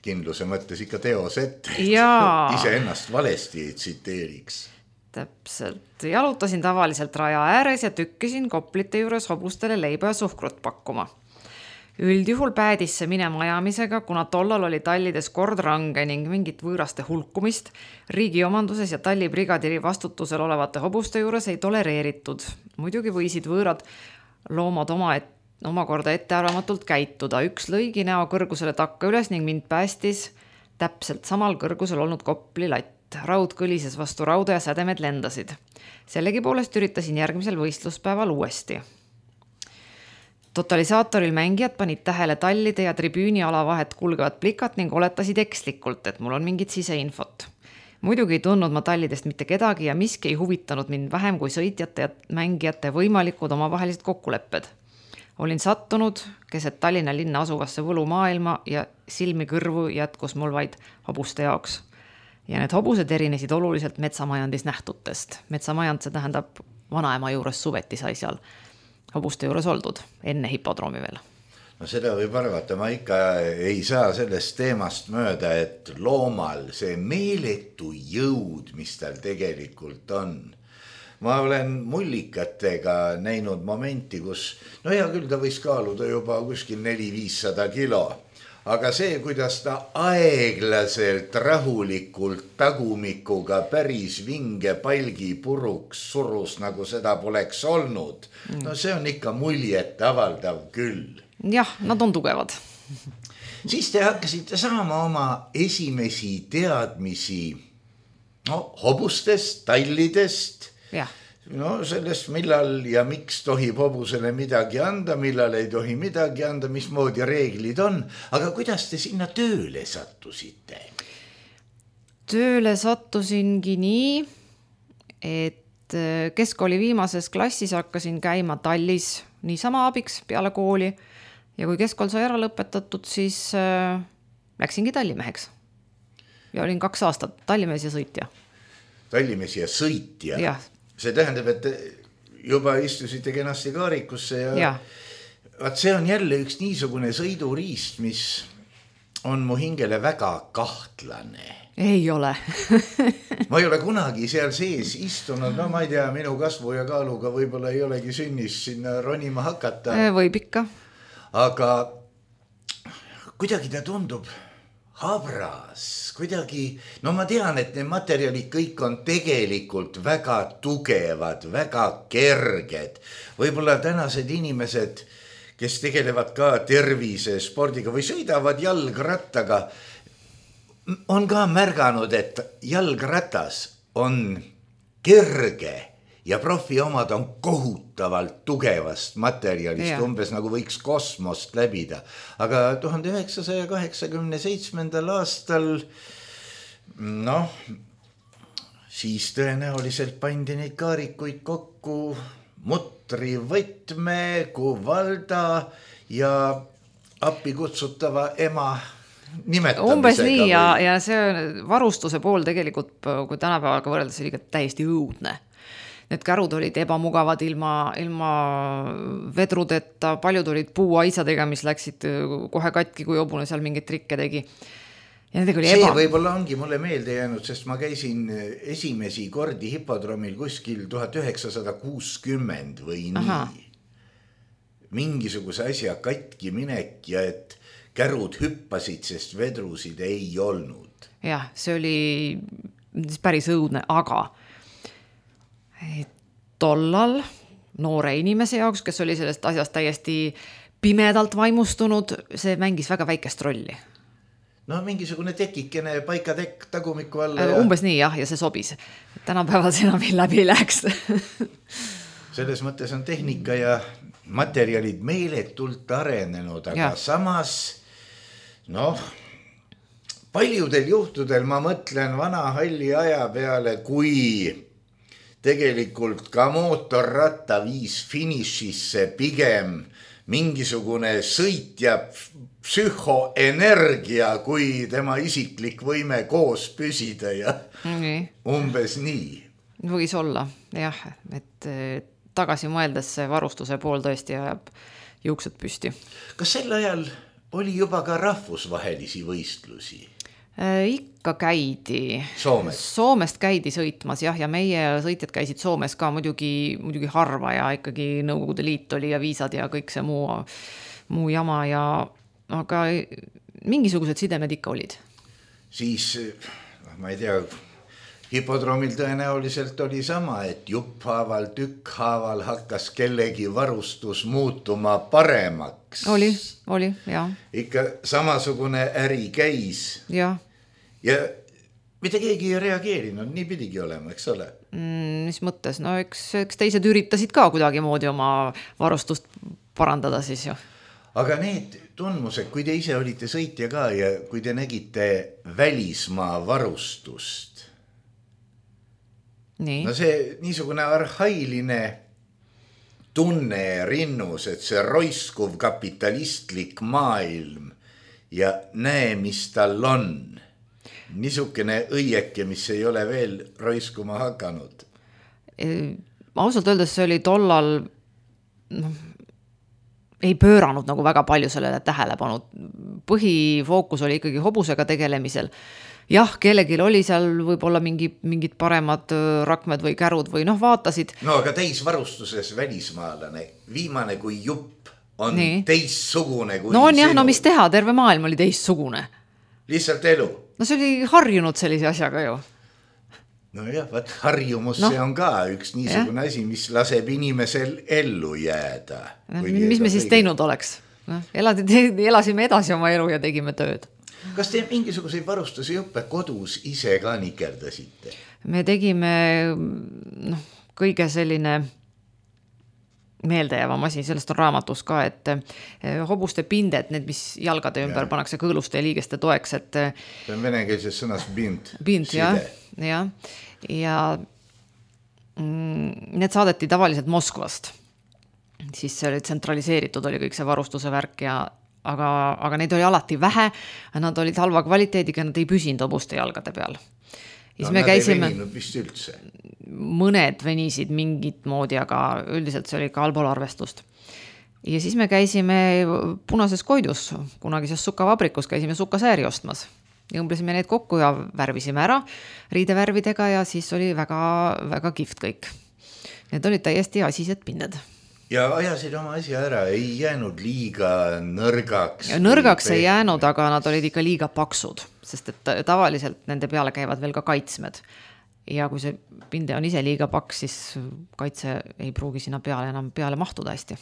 Kindluse mõttes ikka teos ette, ise ennast valesti ei tsiteeriks. Täpselt. Jalutasin tavaliselt raja ääres ja tükkisin koplite juures hobustele leiba ja suhkrut pakkuma. Üldjuhul päädis see minema ajamisega, kuna tollal oli tallides kord range ning mingit võõraste hulkumist riigi omanduses ja tallibrigadiri vastutusel olevate hobuste juures ei tolereeritud. Muidugi võisid võõrad loomad omakorda ettearvamatult käituda. Üks lõigi näo kõrgusele takka üles ning mind päästis täpselt samal kõrgusel olnud kopli latt. Raud kõlises vastu rauda ja sädemed lendasid. Sellegi poolest üritasin järgmisel võistluspäeval uuesti. Totalisaatoril mängijad panid tähele tallide ja tribüüni ala vahet kulgevat plikat ning oletasid ekslikult, et mul on mingit siseinfot. Muidugi ei tundnud ma tallidest mitte kedagi ja miski ei huvitanud mind vähem kui sõitjate ja mängijate võimalikud omavahelised kokkulepped. Olin sattunud keset Tallinna linna asuvasse võlumaailma ja silmi kõrvu jätkus mul vaid hobuste jaoks. Ja need hobused erinesid oluliselt metsamajandis nähtutest. Metsamajand, see tähendab vanaema juures suveti sai seal hobuste juures oldud, enne hipodroomi veel. No seda võib arvata, ma ikka ei saa sellest teemast mööda, et loomal see meeletu jõud, mis tal tegelikult on. Ma olen mullikatega näinud momenti, kus, hea küll ta võis kaaluda juba kuskil 400-500 kilo. Aga see, kuidas ta aeglaselt, rahulikult tagumikuga päris vinge palgi puruks surus, nagu seda poleks olnud. No see on ikka muljet avaldav küll. Jah, nad on tugevad. Siis te hakkasite saama oma esimesi teadmisi hobustest, tallidest. Jah. Sellest, millal ja miks tohib hobusele midagi anda, millal ei tohi midagi anda, mismoodi reeglid on. Aga kuidas te sinna tööle sattusite? Tööle sattusingi nii, et keskkooli viimases klassis hakkasin käima tallis niisama abiks peale kooli. Ja kui keskkool sai ära lõpetatud, siis läksingi tallimeheks. Ja olin 2 aastat tallimees ja sõitja. Tallimees ja sõitja? Jah. See tähendab, et juba istusite kenasti kaarikusse ja see on jälle üks niisugune sõiduriist, mis on mu hingele väga kahtlane. Ei ole. Ma ei ole kunagi seal sees istunud, ma ei tea, minu kasvu ja kaaluga võib-olla ei olegi sünnis sinna ronima hakata. Võib ikka. Aga kuidagi ta tundub habras, kuidagi, ma tean, et need materjalid kõik on tegelikult väga tugevad, väga kerged. Võib-olla tänased inimesed, kes tegelevad ka tervise spordiga või sõidavad jalgrattaga, on ka märganud, et jalgratas on kerge ja profi omad on kohutavalt tugevast materjalist, umbes nagu võiks kosmost läbida. Aga 1987. aastal, siis tõenäoliselt pandi neid kaarikuid kokku Mutri Võtme, Kuvalda ja appi kutsutava ema nimetamisega. Umbes nii ja see varustuse pool tegelikult, kui tänapäevaga võrreldes, oli täiesti õudne. Need kärud olid ebamugavad ilma vedrudeta, paljud olid puuaisadega, mis läksid kohe katki, kui hobune seal mingeid trikke tegi. Ja see võib-olla ongi mulle meelde jäänud, sest ma käisin esimesi kordi hipodromil kuskil 1960 või nii. Mingisuguse asja katki minek ja et kärud hüppasid, sest vedrusid ei olnud. Jah, see oli päris õudne, aga tollal noore inimese jaoks, kes oli sellest asjast täiesti pimedalt vaimustunud, see mängis väga väikest rolli. No mingisugune tekikene paikatekk tagumiku alla. Umbes nii jah, ja see sobis. Tänapäeval see enam läbi läks. Selles mõttes on tehnika ja materjalid meeletult arenenud, aga samas paljudel juhtudel ma mõtlen vana halli aja peale, kui tegelikult ka mootorratta viis finišisse pigem mingisugune sõitja psühhoenergia kui tema isiklik võime koos püsida ja umbes nii. Võis olla, jah, et tagasi mõeldes see varustuse pool tõesti ajab juuksed püsti. Kas sel ajal oli juba ka rahvusvahelisi võistlusi? Ikka käidi. Soomest käidi sõitmas, jah, ja meie sõitjad käisid Soomes ka muidugi harva ja ikkagi Nõukogude Liit oli ja viisad ja kõik see muu jama aga mingisugused sidemed ikka olid. Siis, ma ei tea, hipodromil tõenäoliselt oli sama, et jupphaaval, tükkhaaval hakkas kellegi varustus muutuma paremaks. Oli, jah. Ikka samasugune äri käis. Jah. Ja mitte keegi ei reageerinud, nii pidigi olema, eks ole? Mis mõttes? No eks teised üritasid ka kuidagi moodi oma varustust parandada siis ju. Aga need tundmused, kui te ise olite sõitja ka ja kui te nägite välismaa varustust, nii. No see niisugune arhailine tunne rinnus, et see roiskuv kapitalistlik maailm ja näe, mis tal on. Niisugune õieke, mis ei ole veel roiskuma hakanud. Ausalt öeldes see oli tollal ei pööranud nagu väga palju sellele tähelepanu. Põhifookus oli ikkagi hobusega tegelemisel. Jah, kellelgi oli seal võib-olla mingid paremad rakmed või kärud või vaatasid. No aga teisvarustuses välismaalane, viimane kui jupp on teissugune kui on jah, mis teha, terve maailm oli teissugune. Lihtsalt elu. No see oli harjunud sellise asjaga ju. No jah, harjumus see on ka üks niisugune asi, mis laseb inimesel ellu jääda. Mis me siis teinud oleks? Elasime edasi oma elu ja tegime tööd. Kas te mingisuguseid varustusi õppe kodus ise ka nikerdasite? Me tegime kõige selline meeldejäävam asi, sellest on raamatus ka, et hobuste pinded, need, mis jalgade ümber pannakse kõõluste ja liigeste toeks, et see on venekeelses sõnas bind, jah. Ja need saadeti tavaliselt Moskvast. Siis see oli tsentraliseeritud, oli kõik see varustuse värk aga neid oli alati vähe, nad olid halva kvaliteediga, nad ei püsinud hobuste jalgade peal. Nad ei veninud vist üldse. Mõned venisid mingit moodi, aga üldiselt see oli ka allpool arvestust. Ja siis me käisime Punases Koidus, kunagises sukavabrikus, käisime sukasääri ostmas. Jõmblesime need kokku ja värvisime ära riidevärvidega ja siis oli väga, väga kihvt kõik. Need olid täiesti asised pinded. Ja ajasid oma asja ära, ei jäänud liiga nõrgaks. Nõrgaks ei jäänud, aga nad olid ikka liiga paksud, sest et tavaliselt nende peale käivad veel ka kaitsmed. Ja kui see pinde on ise liiga paks, siis kaitse ei pruugi sinna enam peale mahtuda hästi.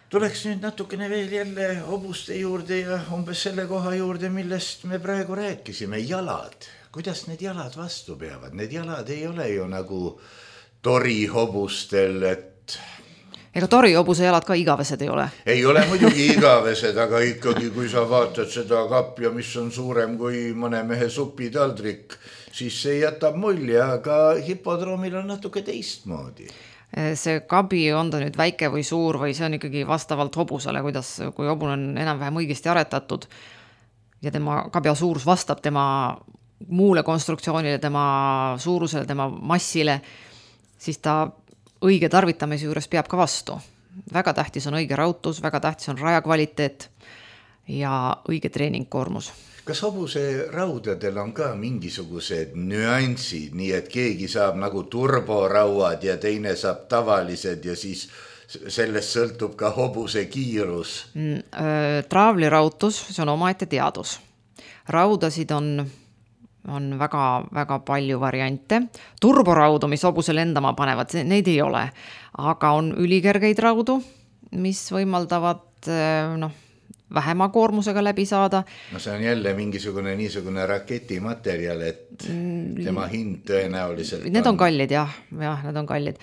Tuleks nüüd natukene veel jälle hobuste juurde ja umbes selle koha juurde, millest me praegu rääkisime, jalad. Kuidas need jalad vastu peavad? Need jalad ei ole ju nagu torihobustel, et ega torihobuse jalad ka igavesed ei ole. Ei ole muidugi igavesed, aga ikkagi, kui sa vaatad seda kapja, mis on suurem kui mõne mehe supitaldrik, siis see jätab mulje, aga hipodroomil on natuke teistmoodi. see kabi, on ta nüüd väike või suur või see on ikkagi vastavalt hobusele, kui hobune on enam-vähem õigesti aretatud ja tema kabja suurus vastab tema muule konstruktsioonile, tema suurusele, tema massile, siis ta õige tarvitamise juures peab ka vastu. Väga tähtis on õige rautus, väga tähtis on raja kvaliteet ja õige treeningkoormus. Kas hobuse raudadel on ka mingisugused nüansid, nii et keegi saab nagu turborauad ja teine saab tavalised ja siis sellest sõltub ka hobuse kiirus? Traavli rautus, see on omaette teadus. Raudasid on väga, väga palju variante. Turboraudu, mis hobuse lendama panevad, neid ei ole. Aga on ülikergeid raudu, mis võimaldavad vähema koormusega läbi saada. No see on jälle niisugune raketimaterjal, et tema hind tõenäoliselt need on kallid, jah, need on kallid.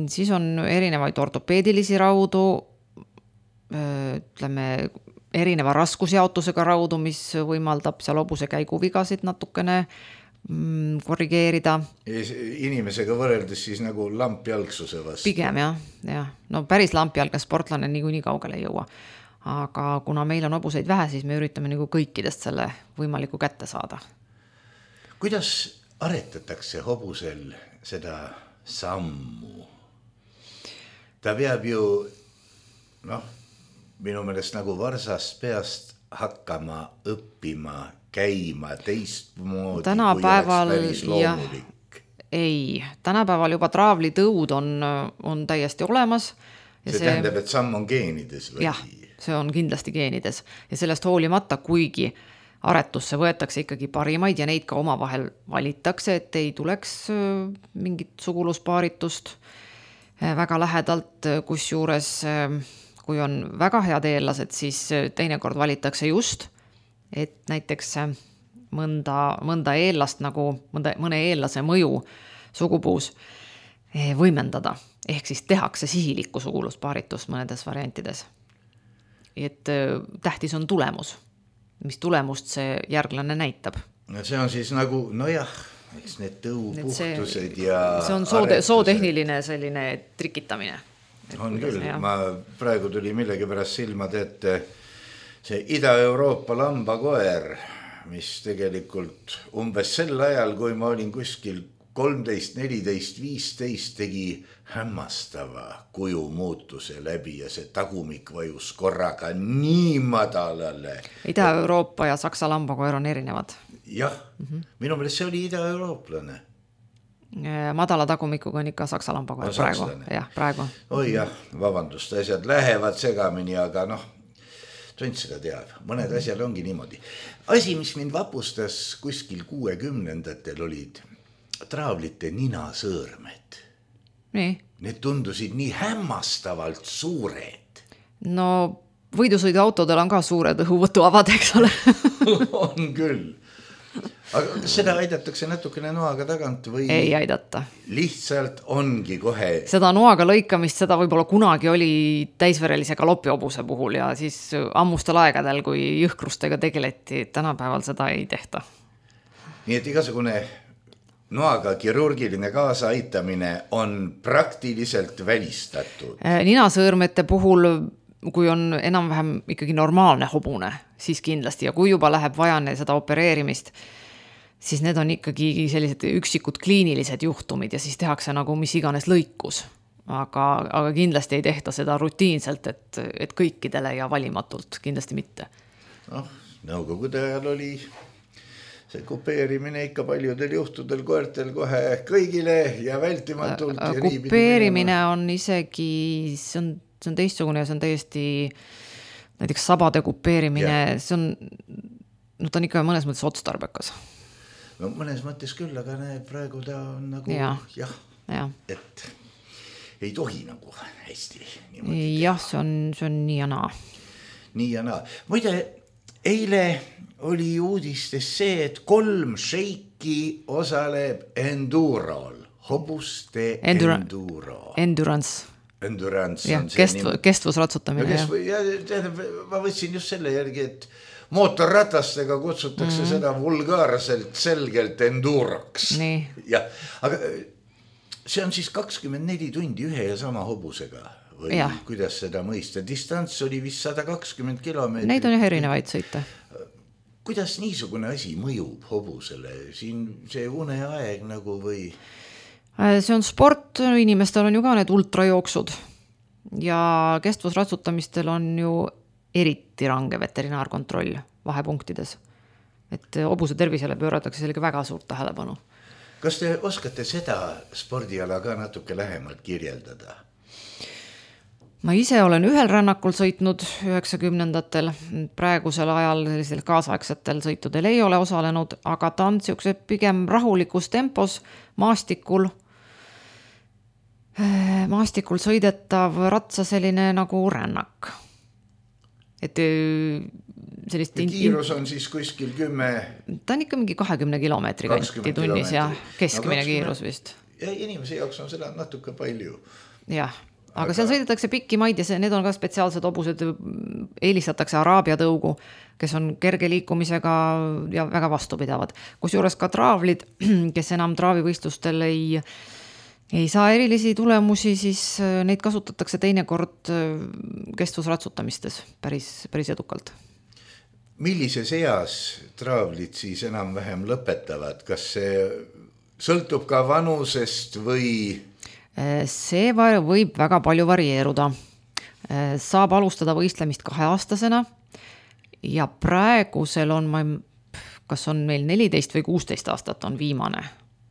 Siis on erinevaid ortopeedilisi raudu, ütleme, erineva raskusjaotusega raudu, mis võimaldab seal hobuse käiguvigasid natukene korrigeerida. Inimesega võrreldes siis nagu lampjalgsuse vastu. Pigem, jah. No päris lampjalgne sportlane nii kaugele ei jõua. Aga kuna meil on hobuseid vähe, siis me üritame nagu kõikidest selle võimaliku kätte saada. Kuidas aretatakse hobusel seda sammu? Ta peab ju, minu meelest nagu varsast peast hakkama õppima, käima teistmoodi, tänapäeval, kui oleks päris loomulik. Ei, tänapäeval juba traavlitõud on täiesti olemas. See tähendab, et samm on geenides või? Jah, see on kindlasti geenides ja sellest hoolimata, kuigi aretusse võetakse ikkagi parimaid ja neid ka omavahel valitakse, et ei tuleks mingit suguluspaaritust väga lähedalt, kusjuures kui on väga head eellased, siis teinekord valitakse just, et näiteks mõnda eellast nagu mõne eellase mõju sugupuus võimendada, ehk siis tehakse sihilikku suguluspaaritust mõnedes variantides. Et tähtis on tulemus, mis tulemust see järglane näitab. No see on siis nagu, eks need tõupuhtused ja see on sootehniline selline trikitamine. On küll, ma praegu tuli millegipärast silmad ette see Ida-Euroopa lambakoer, mis tegelikult umbes sel ajal, kui ma olin kuskil 13, 14, 15 tegi hämmastava kuju muutuse läbi ja see tagumik vajus korraga nii madalale. Ida-Euroopa ja Saksa lambakoer on erinevad. Jah, minu meelest see oli ida-eurooplane. Madala tagumikuga on ikka Saksa lambakoer praegu. Praegu. Oi jah, vabandust, asjad lähevad segamini, aga tont seda teab. Mõned asjad ongi niimoodi. Asi, mis mind vapustas kuskil 60-ndatel olid traavlite ninasõõrmed. Nii. Need tundusid nii hämmastavalt suured. No võidusõiduautodel on ka suured õhuvõtuavad, eks ole. On küll. Aga seda aidatakse natukene noaga tagant või? Ei aidata. Lihtsalt ongi kohe. Seda noaga lõikamist, seda võib-olla kunagi oli täisverelise galoppihobuse puhul ja siis ammustel aegadel, kui jõhkrustega tegeleti, tänapäeval seda ei tehta. Nii et igasugune noaga kirurgiline kaasaaitamine on praktiliselt välistatud. Ninasõõrmete puhul, kui on enam-vähem ikkagi normaalne hobune, siis kindlasti ja kui juba läheb vajane seda opereerimist, siis need on ikkagi sellised üksikud kliinilised juhtumid ja siis tehakse nagu mis iganes lõikus. Aga kindlasti ei tehta seda rutiinselt, et kõikidele ja valimatult, kindlasti mitte. Nõukogude ajal oli see kupeerimine ikka paljudel juhtudel koertel kohe kõigile ja vältimatult. Kupeerimine on isegi, see on teistsugune ja see on täiesti näiteks sabade kupeerimine, see ta on ikka mõnes mõttes otstarbekas. No mõnes mõttes küll, aga praegu ta on nagu et ei tohi nagu hästi niimoodi. Jah, see on nii ja naa. Nii ja naa. Muide, eile oli uudistes see, et 3 šeiki osaleb endurol, hobuste enduro. Endurance. Ja, kestvusratsutamine. Ma võtsin just selle järgi, et mootorratastega kutsutakse seda vulgaarselt selgelt enduroks. Nii. Ja, aga see on siis 24 tundi ühe ja sama hobusega või ja. Kuidas seda mõista? Distants oli vist 120 kilomeetrit. Neid on erinevaid sõite. Kuidas niisugune asi mõjub hobusele? Siin see uneaeg nagu või? See on sport, inimestel on ju ka need ultrajooksud ja kestvusratsutamistel on ju eriti range veterinaarkontroll vahepunktides. Et hobuse tervisele pööratakse sellega väga suurt tähelepanu. Kas te oskate seda spordiala ka natuke lähemalt kirjeldada? Ma ise olen ühel rännakul sõitnud 90-ndatel, praegusel ajal sellisel kaasaegsetel sõitudel ei ole osalenud, aga ta on siukse pigem rahulikus tempos maastikul sõidetav ratsa selline nagu rännak. Et sellist kiirus on siis kuskil 10... Ta on ikka mingi 20 kilomeetri kanti tunnis ja keskmine kiirus vist. Ja inimese jaoks on seda natuke palju. Jah. Aga seal sõidetakse pikki maid ja need on ka spetsiaalsed hobused, eelistatakse araabia tõugu, kes on kerge liikumisega ja väga vastupidavad. Kusjuures ka traavlid, kes enam traavivõistlustel ei saa erilisi tulemusi, siis neid kasutatakse teinekord kestvusratsutamistes päris edukalt. Millises eas traavlid siis enam vähem lõpetavad? Kas see sõltub ka vanusest või... See võib väga palju varieeruda. Saab alustada võistlemist 2-aastasena ja praegusel on, kas on meil 14 või 16 aastat on viimane,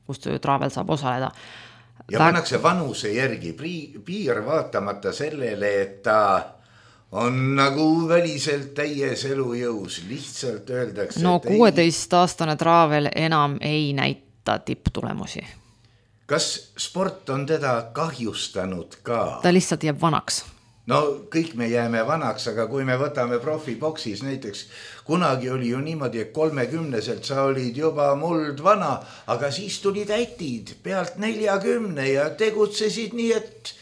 kus traavel saab osaleda. Ja pannakse vanuse järgi piir vaatamata sellele, et ta on nagu väliselt täies elujõus, lihtsalt öeldakse. No 16-aastane traavel enam ei näita tipptulemusi. Kas sport on teda kahjustanud ka? Ta lihtsalt jääb vanaks. No kõik me jääme vanaks, aga kui me võtame profiboksis näiteks, kunagi oli ju niimoodi, et 30-selt sa olid juba muld vana, aga siis tulid ätid pealt 40 ja tegutsesid nii, et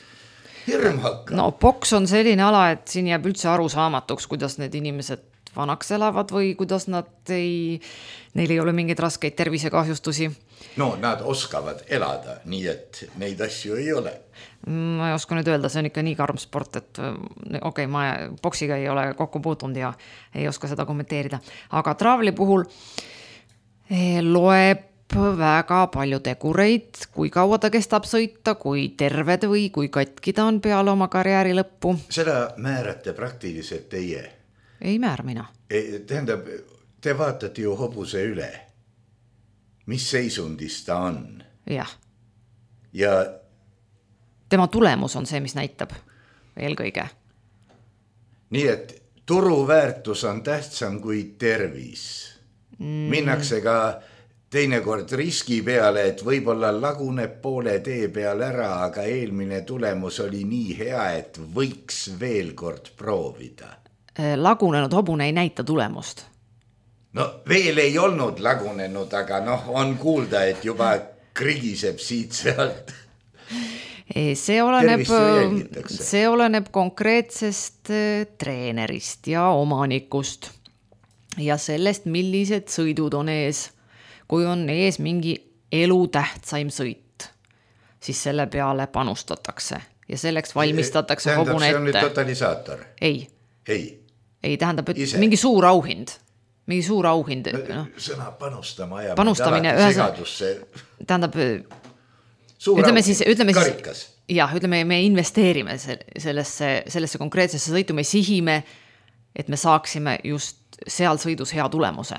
hirm hakkab. No boks on selline ala, et siin jääb üldse arusaamatuks, kuidas need inimesed vanaks elavad või kuidas neil ei ole mingeid raskeid tervisekahjustusi. No nad oskavad elada, nii et neid asju ei ole. Ma ei oska nüüd öelda, see on ikka nii karm sport, et okei, ma boksiga ei ole kokku puutunud ja ei oska seda kommenteerida. Aga traavli puhul loeb väga palju tegureid, kui kaua ta kestab sõita, kui terved või kui katki ta on peale oma karjääri lõppu. Seda määrate praktiliselt teie? Ei määr mina. Tähendab, te vaatate ju hobuse üle. Mis seisundis ta on? Jah. Ja tema tulemus on see, mis näitab eelkõige. Nii et turuväärtus on tähtsam kui tervis. Minnakse ka teinekord riski peale, et võib-olla laguneb poole tee peal ära, aga eelmine tulemus oli nii hea, et võiks veel kord proovida. Lagunenud hobune ei näita tulemust. No veel ei olnud lagunenud, aga on kuulda, et juba krigiseb siit sealt. See oleneb konkreetsest treenerist ja omanikust ja sellest, millised sõidud on ees. Kui on ees mingi elutähtsaim sõit, siis selle peale panustatakse ja selleks valmistatakse hobune ette. See on nüüd totalisaator? Ei, tähendab, et mingi suur auhind. Mingi suur auhind. Sõna panustama ja panustamine segadusse. Tähendab, ütleme, me investeerime sellesse konkreetsesse sõitu, me sihime, et me saaksime just seal sõidus hea tulemuse.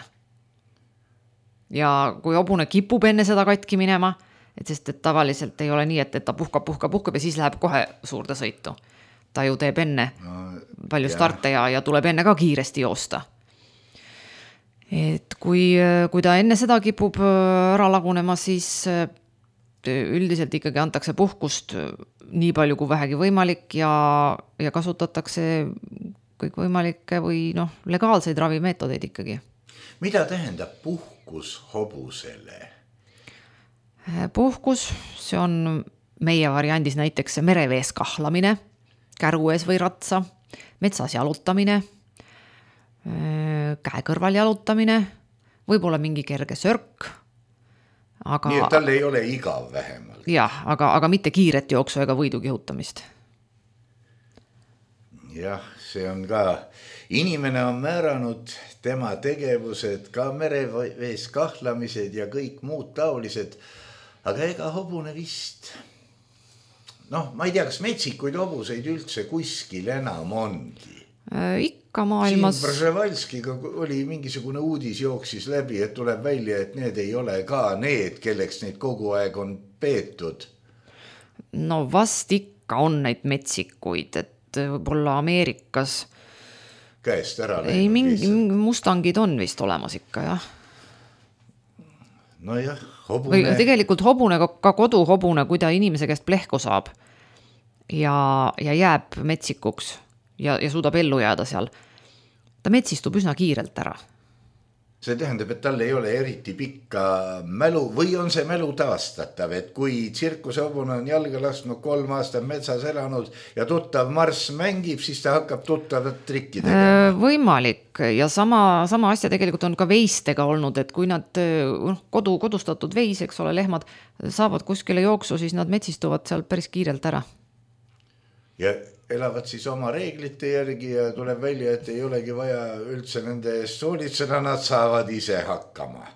Ja kui hobune kipub enne seda katki minema, sest et tavaliselt ei ole nii, et ta puhkab ja siis läheb kohe suurde sõitu. Ta ju teeb enne palju starte ja tuleb enne ka kiiresti joosta. Et kui ta enne seda kipub ära lagunema, siis üldiselt ikkagi antakse puhkust nii palju kui vähegi võimalik ja kasutatakse kõik võimalikke või legaalseid ravimeetodeid ikkagi. Mida tähendab puhkus hobusele? Puhkus, see on meie variandis näiteks merevees kahlamine, käruees või ratsa, metsas jalutamine, käe kõrval jalutamine, võib-olla mingi kerge sörk, Aga, nii et tal ei ole igav vähemalt. Jah, aga mitte kiiret jooksu ega võidu kihutamist. Jah, see on ka, inimene on määranud tema tegevused, ka merevees kahlamised ja kõik muud taolised, aga ega hobune vist, ma ei tea, kas metsikuid hobuseid üldse kuskil enam ongi. Ikka maailmas. Siin Brzevalskiga oli mingisugune uudis jooksis läbi, et tuleb välja, et need ei ole ka need, kelleks neid kogu aeg on peetud. No vast ikka on neid metsikuid, et võib-olla Ameerikas käest ära läinud. Ei, mingi mustangid on vist olemas ikka, jah. No jah, hobune. Või tegelikult hobune, ka koduhobune, kui ta inimese käest plehku saab ja jääb metsikuks ja suudab ellu jääda seal, ta metsistub üsna kiirelt ära. See tähendab, et tal ei ole eriti pikka mälu või on see mälu taastatav, et kui tsirkusehobune on jalga lasknud 3 aastat metsas elanud ja tuttav marss mängib, siis ta hakkab tuttavat trikki tegema. Võimalik ja sama asja tegelikult on ka veistega olnud, et kui nad kodustatud veis, eks ole, lehmad saavad kuskile jooksu, siis nad metsistuvad seal päris kiirelt ära. Ja elavad siis oma reeglite järgi ja tuleb välja, et ei olegi vaja üldse nende eest hoolitseda, nad saavad ise hakkama.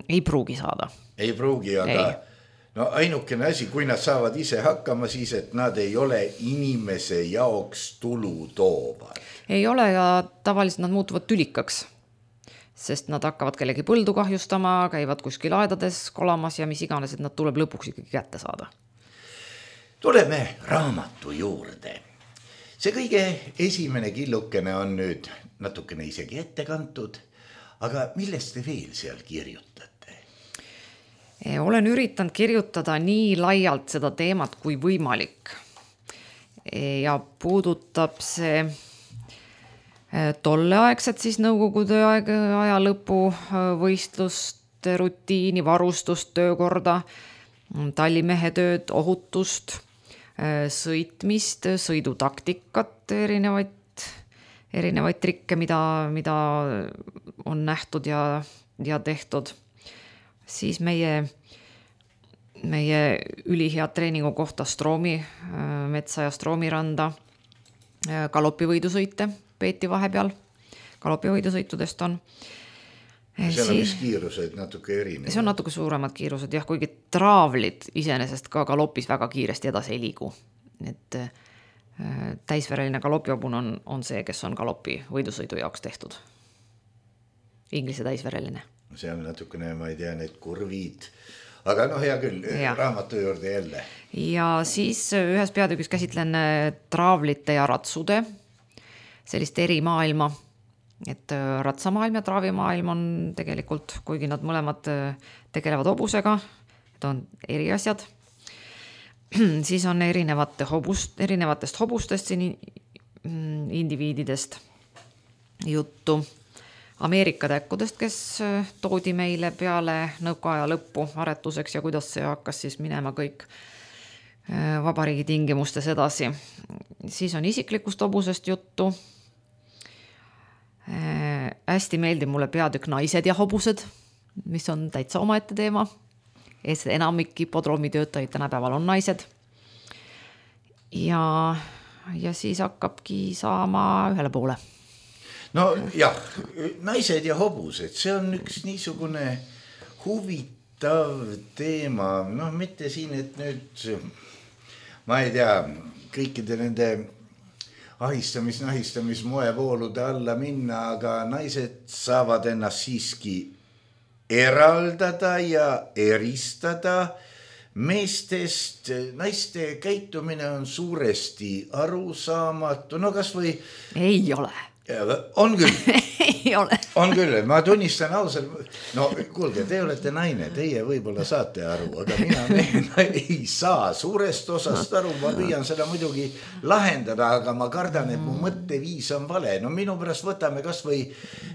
Ei pruugi saada. Ei pruugi, aga ainukene asi, kui nad saavad ise hakkama, siis et nad ei ole inimese jaoks tulu toovad. Ei ole ja tavaliselt nad muutuvad tülikaks, sest nad hakkavad kellegi põldu kahjustama, käivad kuskil aedades kolamas ja mis iganes, et nad tuleb lõpuks ikkagi kätte saada. Tuleme raamatu juurde. See kõige esimene killukene on nüüd natukene isegi ette kantud, aga millest te veel seal kirjutate? Olen üritanud kirjutada nii laialt seda teemat kui võimalik. Ja puudutab see tolleaegset siis nõukogude aja lõpu võistluste rutiini, varustust, töökorda, tallimehe tööd, ohutust, sõitmist, sõidutaktikat, erinevaid trikke, mida on nähtud ja tehtud. Siis meie ülihead treeningu kohta Stroomi metsa ja Stroomi randa, galopivõidusõite peeti vahepeal, galopivõidusõitudest on. Seal on vist kiirused natuke erinevad. See on natuke suuremad kiirused, jah, kuigi traavlid iseenesest ka galopis väga kiiresti edasi ei liigu. Et täisvereline galopihobune on see, kes on galopi võidusõidu jaoks tehtud. Inglise täisvereline. See on natukene, ma ei tea, need kurvid, aga hea küll, raamatu juurde jälle. Ja siis ühes peatükis käsitlen traavlite ja ratsude, sellist eri maailma. Et ratsamaailm ja traavimaailm on tegelikult, kuigi nad mõlemad tegelevad hobusega, et on eri asjad, siis on erinevatest hobustest siin indiviididest juttu. Ameerika täkkudest, kes toodi meile peale nõukaaja lõppu aretuseks ja kuidas see hakkas siis minema kõik vabariigi tingimustes edasi. Siis on isiklikust hobusest juttu. Hästi meeldib mulle peatükk naised ja hobused, mis on täitsa omaette teema. Enamik hipodroomi töötajaid tänapäeval on naised. Ja siis hakkabki saama ühele poole. No jah, naised ja hobused, see on üks niisugune huvitav teema. Mitte siin, et nüüd, ma ei tea, kõikide nende ahistamis moevoolude alla minna, aga naised saavad ennast siiski eraldada ja eristada meestest. Naiste käitumine on suuresti arusaamatu. No kas või... Ei ole. On küll. Ei ole. On küll, ma tunnistan ausalt. No kuulge, te olete naine, teie võib-olla saate aru, aga mina ei saa suurest osast aru, ma püüan seda muidugi lahendada, aga ma kardan, et mu mõtteviis on vale. No minu pärast võtame kas või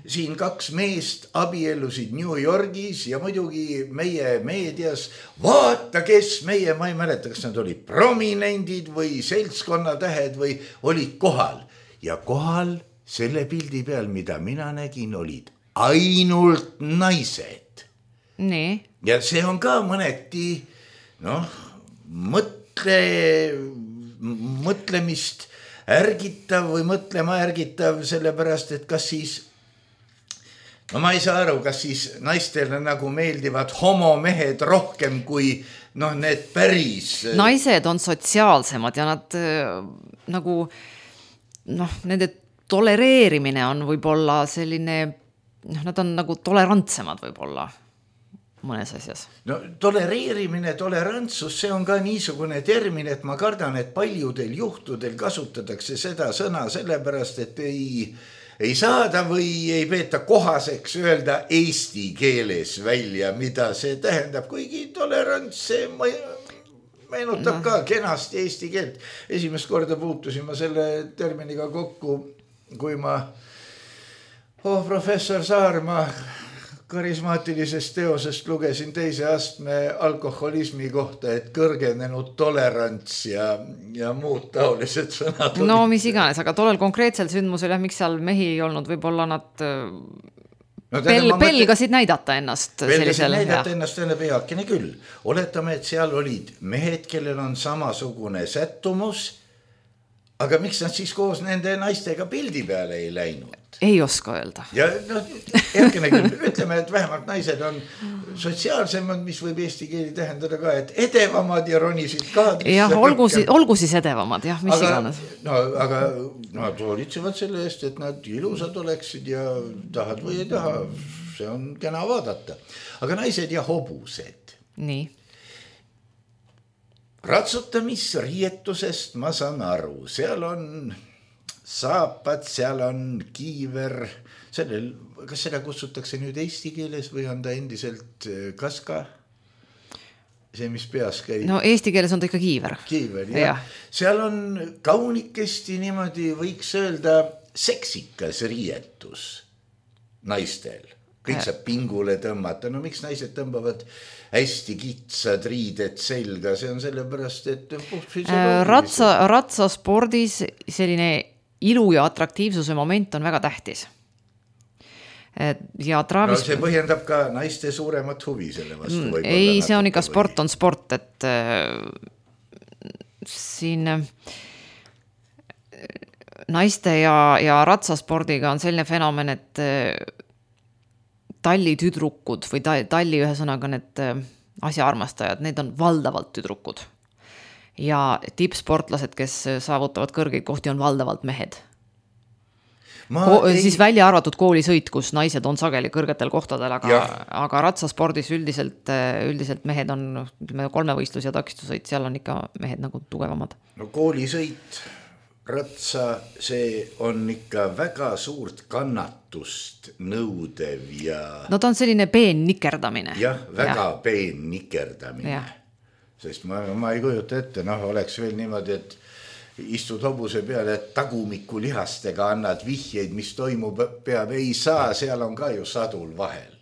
siin 2 meest abiellusid New Yorgis ja muidugi meie meedias, vaata kes meie, ma ei mäleta, kas nad olid prominendid või seltskonnatähed või olid kohal ja kohal selle pildi peal, mida mina nägin, olid ainult naised. Nii. Ja see on ka mõneti mõtlemist ärgitav või mõtlema ärgitav, sellepärast, et kas siis ma ei saa aru, kas siis naistele nagu meeldivad homomehed rohkem kui need päris. Naised on sotsiaalsemad ja nad nagu nende tolereerimine on võib-olla selline, nad on nagu tolerantsemad võib-olla mõnes asjas. Tolereerimine, tolerantsus, see on ka niisugune termin, et ma kardan, et paljudel juhtudel kasutatakse seda sõna sellepärast, et ei saada või ei peeta kohaseks öelda eesti keeles välja, mida see tähendab, kuigi tolerants, see meenutab ka kenasti eesti keelt. Esimest korda puutusin ma selle terminiga kokku, kui ma professor Saarma karismaatilisest teosest lugesin 2. astme alkoholismi kohta, et kõrgenenud tolerants ja muud taolised sõnad. Mis iganes, aga tollel konkreetsel sündmusel, miks seal mehi ei olnud, võib-olla nad pelgasid näidata ennast. Pelgasid näidata ennast enne peakene küll. Oletame, et seal olid mehed, kellel on samasugune sättumus, aga miks nad siis koos nende naistega pildi peale ei läinud? Ei oska öelda. Ja järgene küll, ütleme, et vähemalt naised on sotsiaalsemad, mis võib eesti keeli tähendada ka, et edevamad ja ronisid kaadrisse. Jah, olgu siis edevamad, jah, mis iganes. Aga nad hoolitsevad selle eest, et nad ilusad oleksid ja tahad või ei taha, see on kena vaadata. Aga naised ja hobused. Nii. Ratsutamisriietusest ma saan aru, seal on saapad, seal on kiiver, kas seda kutsutakse nüüd eesti keeles või on ta endiselt kaska? See, mis peas käib. Eesti keeles on ta ikka kiiver. Kiiver, jah. Seal on kaunikesti niimoodi, võiks öelda, seksikas riietus naistel. Kõik saab pingule tõmmata. Miks naised tõmbavad hästi kitsad riided selga? See on sellepärast, et ratsaspordis selline ilu ja atraktiivsuse moment on väga tähtis. Ja see põhjendab ka naiste suuremat huvi selle vastu. Ei, see on ikka sport on sport, et siin naiste ja ratsaspordiga on selline fenomen, et tallitüdrukud või talli ühesõnaga need asjaarmastajad, need on valdavalt tüdrukud. Ja tippsportlased, kes saavutavad kõrgeid kohti, on valdavalt mehed. Siis välja arvatud koolisõit, kus naised on sageli kõrgetel kohtadel, aga ratsaspordis üldiselt mehed on 3-võistlus ja takistusõit, seal on ikka mehed nagu tugevamad. Koolisõit, ratsa, see on ikka väga suurt kannatust nõudev ja... ta on selline peen nikerdamine. Jah, väga peen nikerdamine. Sest ma ei kujuta ette, oleks veel niimoodi, et istud hobuse peale, et tagumiku lihastega annad vihjeid, mis toimub peab, ei saa, seal on ka ju sadul vahel.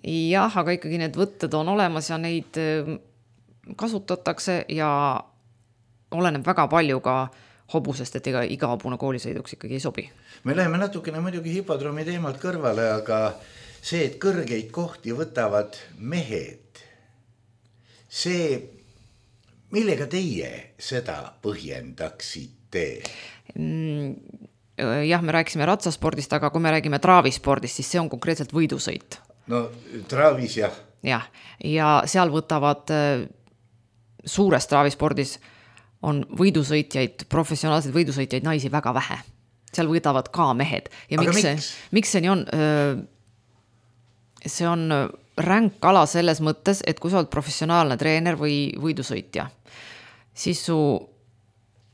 Jah, aga ikkagi need võtted on olemas ja neid kasutatakse ja oleneb väga palju ka hobusest, et iga hobune koolisõiduks ikkagi ei sobi. Me läheme natukene muidugi hipodroomi teemalt kõrvale, aga see, et kõrgeid kohti võtavad mehed, see, millega teie seda põhjendaksite? Jah, me rääkisime ratsaspordist, aga kui me räägime traavispordist, siis see on konkreetselt võidusõit. Traavis jah. Jah, ja seal võtavad suures traavispordis on võidusõitjaid, professionaalseid võidusõitjaid naisi väga vähe. Seal võidavad ka mehed. Ja miks see nii on? See on ränk ala selles mõttes, et kui sa oled professionaalne treener või võidusõitja, siis su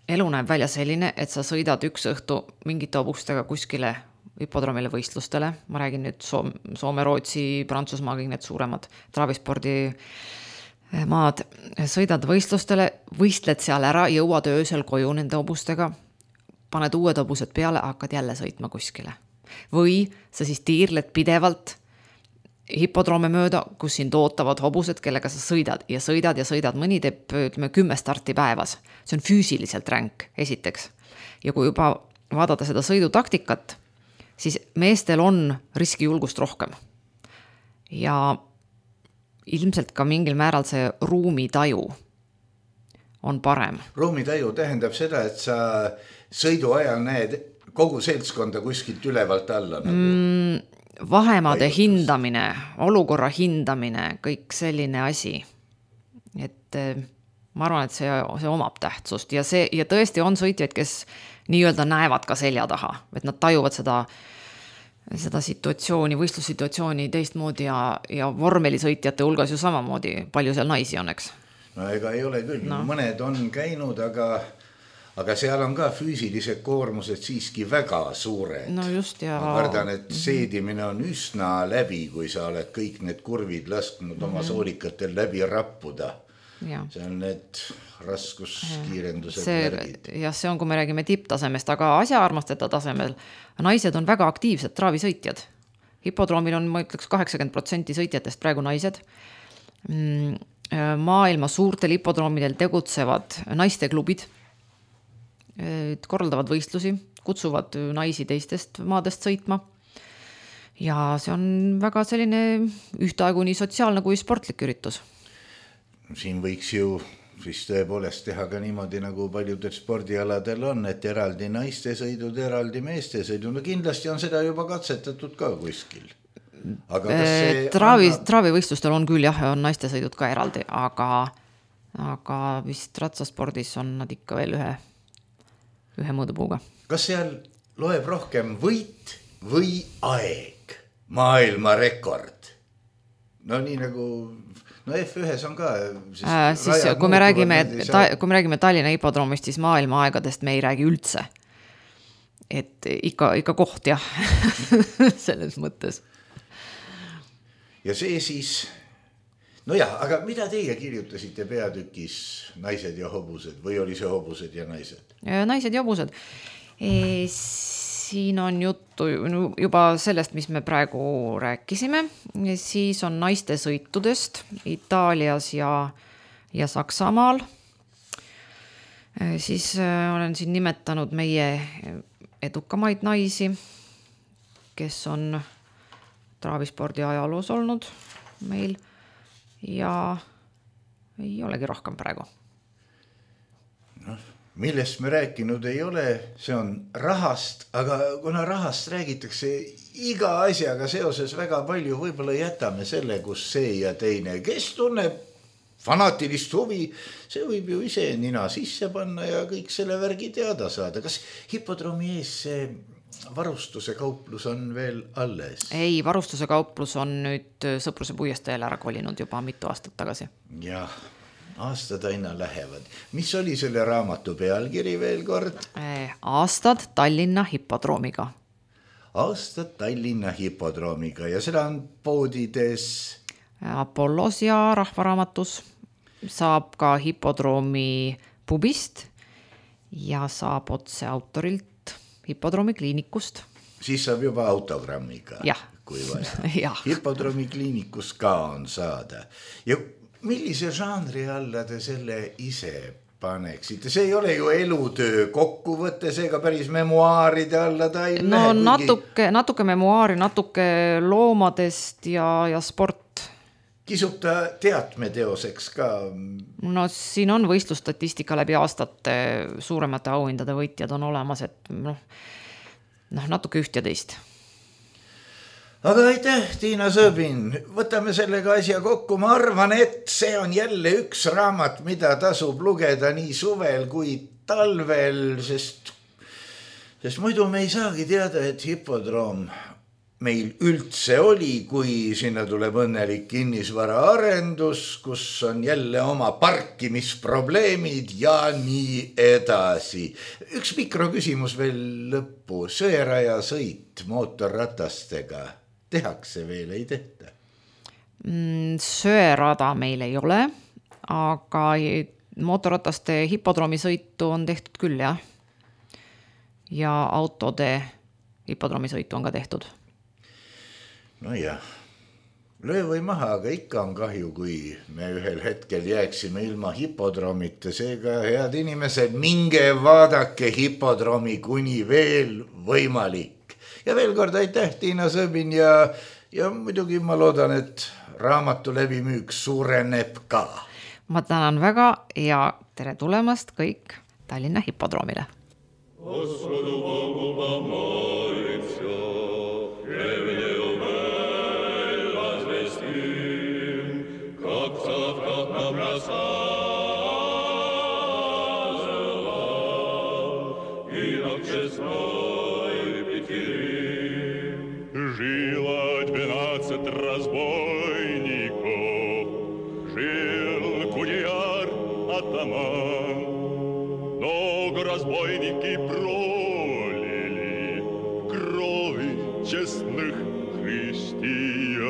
elu näeb välja selline, et sa sõidad üks õhtu mingite hobustega kuskile hipodroomile võistlustele. Ma räägin nüüd Soome, Rootsi, Prantsusmaa, kõik need suuremad traavispordi maad, sõidad võistlustele, võistled seal ära, jõuad öösel koju nende hobustega, paned uued hobused peale, hakkad jälle sõitma kuskile. Või sa siis tiirled pidevalt hipodroome mööda, kus sind ootavad hobused, kellega sa sõidad ja sõidad. Mõni teeb 10 starti päevas. See on füüsiliselt ränk, esiteks. Ja kui juba vaadata seda sõidutaktikat, siis meestel on riskijulgust rohkem. Ja ilmselt ka mingil määral see ruumitaju on parem. Ruumitaju tähendab seda, et sa sõidu ajal näed kogu seltskonda kuskilt ülevalt alla nagu. Vahemaade hindamine, olukorra hindamine, kõik selline asi. Et ma arvan, et see omab tähtsust ja tõesti on sõitjaid, kes nii-öelda näevad ka selja taha, et nad tajuvad seda situatsiooni, võistlussituatsiooni teistmoodi ja vormelisõitjate hulgas ju samamoodi palju seal naisi on, eks? No ega ei ole küll, mõned on käinud, aga seal on ka füüsilised koormused siiski väga suured. No just ja... Ma kardan, et seedimine on üsna läbi, kui sa oled kõik need kurvid lasknud oma soolikatel läbi rappuda. Ja. See on need raskuskiirendused märgid. Ja see on, kui me räägime tipptasemest, aga asjaarmasteta tasemel naised on väga aktiivsed traavisõitjad. Hipodroomil on, ma ütleks, 80% sõitjatest praegu naised. Maailma suurtel hipodroomidel tegutsevad naisteklubid, korraldavad võistlusi, kutsuvad naisi teistest maadest sõitma. Ja see on väga selline ühtaegu nii sotsiaalne kui sportlik üritus. Siin võiks ju siis tõepoolest teha ka niimoodi, nagu paljudel spordialadel on, et eraldi naiste sõidud, eraldi meeste sõidud. No kindlasti on seda juba katsetatud ka kuskil. Aga traavivõistlustel on küll jah, on naiste sõidud ka eraldi, aga vist ratsaspordis on nad ikka veel ühe mõõdupuuga. Kas seal loeb rohkem võit või aeg? Maailma rekord? No nii nagu... No F1 on ka... Siis, kui me räägime Tallinna hipodroomist, siis maailma aegadest me ei räägi üldse. Et ikka koht jah, selles mõttes. Ja see siis... No jah, aga mida teie kirjutasite peatükis naised ja hobused või oli see hobused ja naised? Naised ja hobused. Siin on juttu juba sellest, mis me praegu rääkisime. Siis on naiste sõitudest Itaalias ja Saksamaal. Siis olen siin nimetanud meie edukamaid naisi, kes on traavispordi ajaloos olnud meil ja ei olegi rohkem praegu. Millest me rääkinud ei ole, see on rahast, aga kuna rahast räägitakse iga asjaga seoses väga palju, võib-olla jätame selle, kus see ja teine, kes tunneb fanaatilist huvi, see võib ju ise nina sisse panna ja kõik selle värgi teada saada. Kas hipodroomi ees see varustuse kauplus on veel alles? Ei, varustuse kauplus on nüüd Sõpruse puiesteel ära kolinud juba mitu aastat tagasi. Jah. Aastad aina lähevad. Mis oli selle raamatu pealkiri veel kord? Aastad Tallinna hipodroomiga. Aastad Tallinna hipodroomiga ja seda on poodides? Apollos ja Rahvaraamatus. Saab ka hipodroomi pubist ja saab otse autorilt hipodroomi kliinikust. Siis saab juba autogrammiga, kui vaja. Hipodroomi kliinikus ka on saada. Ja millise žanri alla te selle ise paneksite? See ei ole ju elutöö kokkuvõte, seega päris memuaaride alla ta ei lähe. Natuke memuaari, natuke loomadest ja sport. Kisub ta teatmeteoseks ka? No siin on võistlustatistika läbi aastate suuremate auhindade võitjad on olemas, et natuke üht ja teist. Aga aitäh, Tiina Sõbin, võtame sellega asja kokku. Ma arvan, et see on jälle üks raamat, mida tasub lugeda nii suvel kui talvel, sest muidu me ei saagi teada, et hipodroom meil üldse oli, kui sinna tuleb õnnelik kinnisvara arendus, kus on jälle oma parkimisprobleemid ja nii edasi. Üks mikroküsimus veel lõppu. Sõeraja sõit mootorratastega tehakse veel, ei tehta? Söerada meil ei ole, aga mootorrataste hipodroomi sõitu on tehtud küll, jah. Ja autode hipodroomi sõitu on ka tehtud. No jah, löö või maha, aga ikka on kahju, kui me ühel hetkel jääksime ilma hipodroomita. Seega, head inimesed, minge vaadake hipodroomi kuni veel võimalik. Ja veel kord aitäh, Tiina Sõbin ja ja muidugi ma loodan, et raamatu levimüük suureneb ka. Ma tänan väga ja tere tulemast kõik Tallinna hipodroomile. Господу Богу помолимся, древнею мэль возвестим, как в соловках нам рассказывала, инок честной Петерим. Жило 12 разбойников, жил кудеяр атаман. Много разбойники пролили крови честных христиан.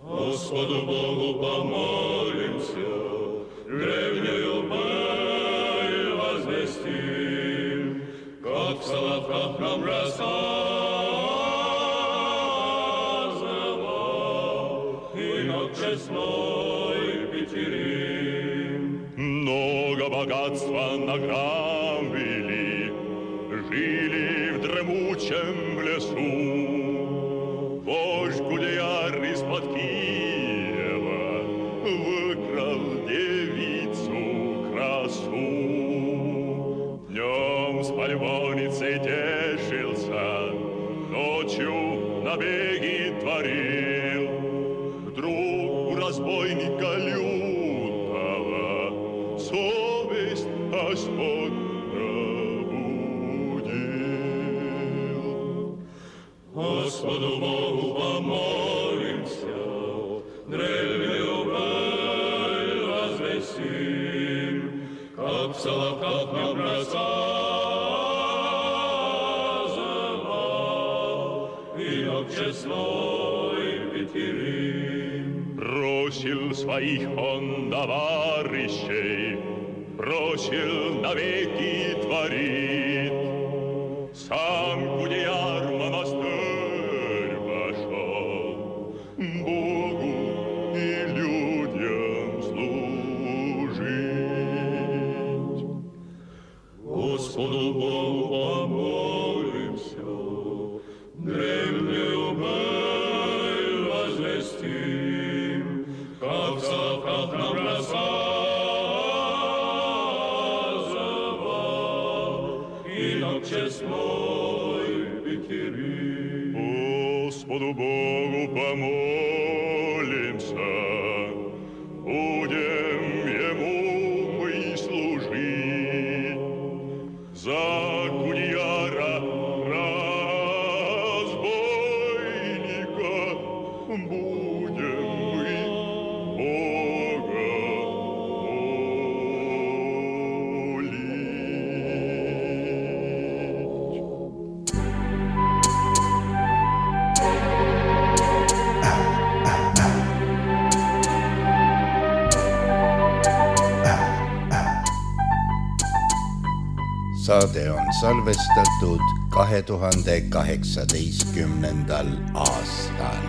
Господу Богу помолимся, древнюю мэль возвестим, как в соловках нам рассказывал инок честной Петерим. Много богатства награбили, жили в дремучем лесу. Вождь Гудеяр из-под Киева выкрал девицу красу. Днем с пальвоницей тешился, ночью набеги творил. Вдруг у разбойника совесть Господь пробудил. Господу Богу помолимся, древнюю мэль возвестим, как в соловках нам рассказывал инок честной Петерим. Бросил своих он товарищей, бросил навеки творит. Сам Гудеяр в монастырь пошел, Богу и людям служить. Господу Богу помолимся, древнюю мэль возвестим, как в соловках нам рассказывал инок честной Петерим. Господу Богу помолимся, будем Ему мы служить. За Гудеяра разбойника будем мы Бога Saade on salvestatud 2018. aastal.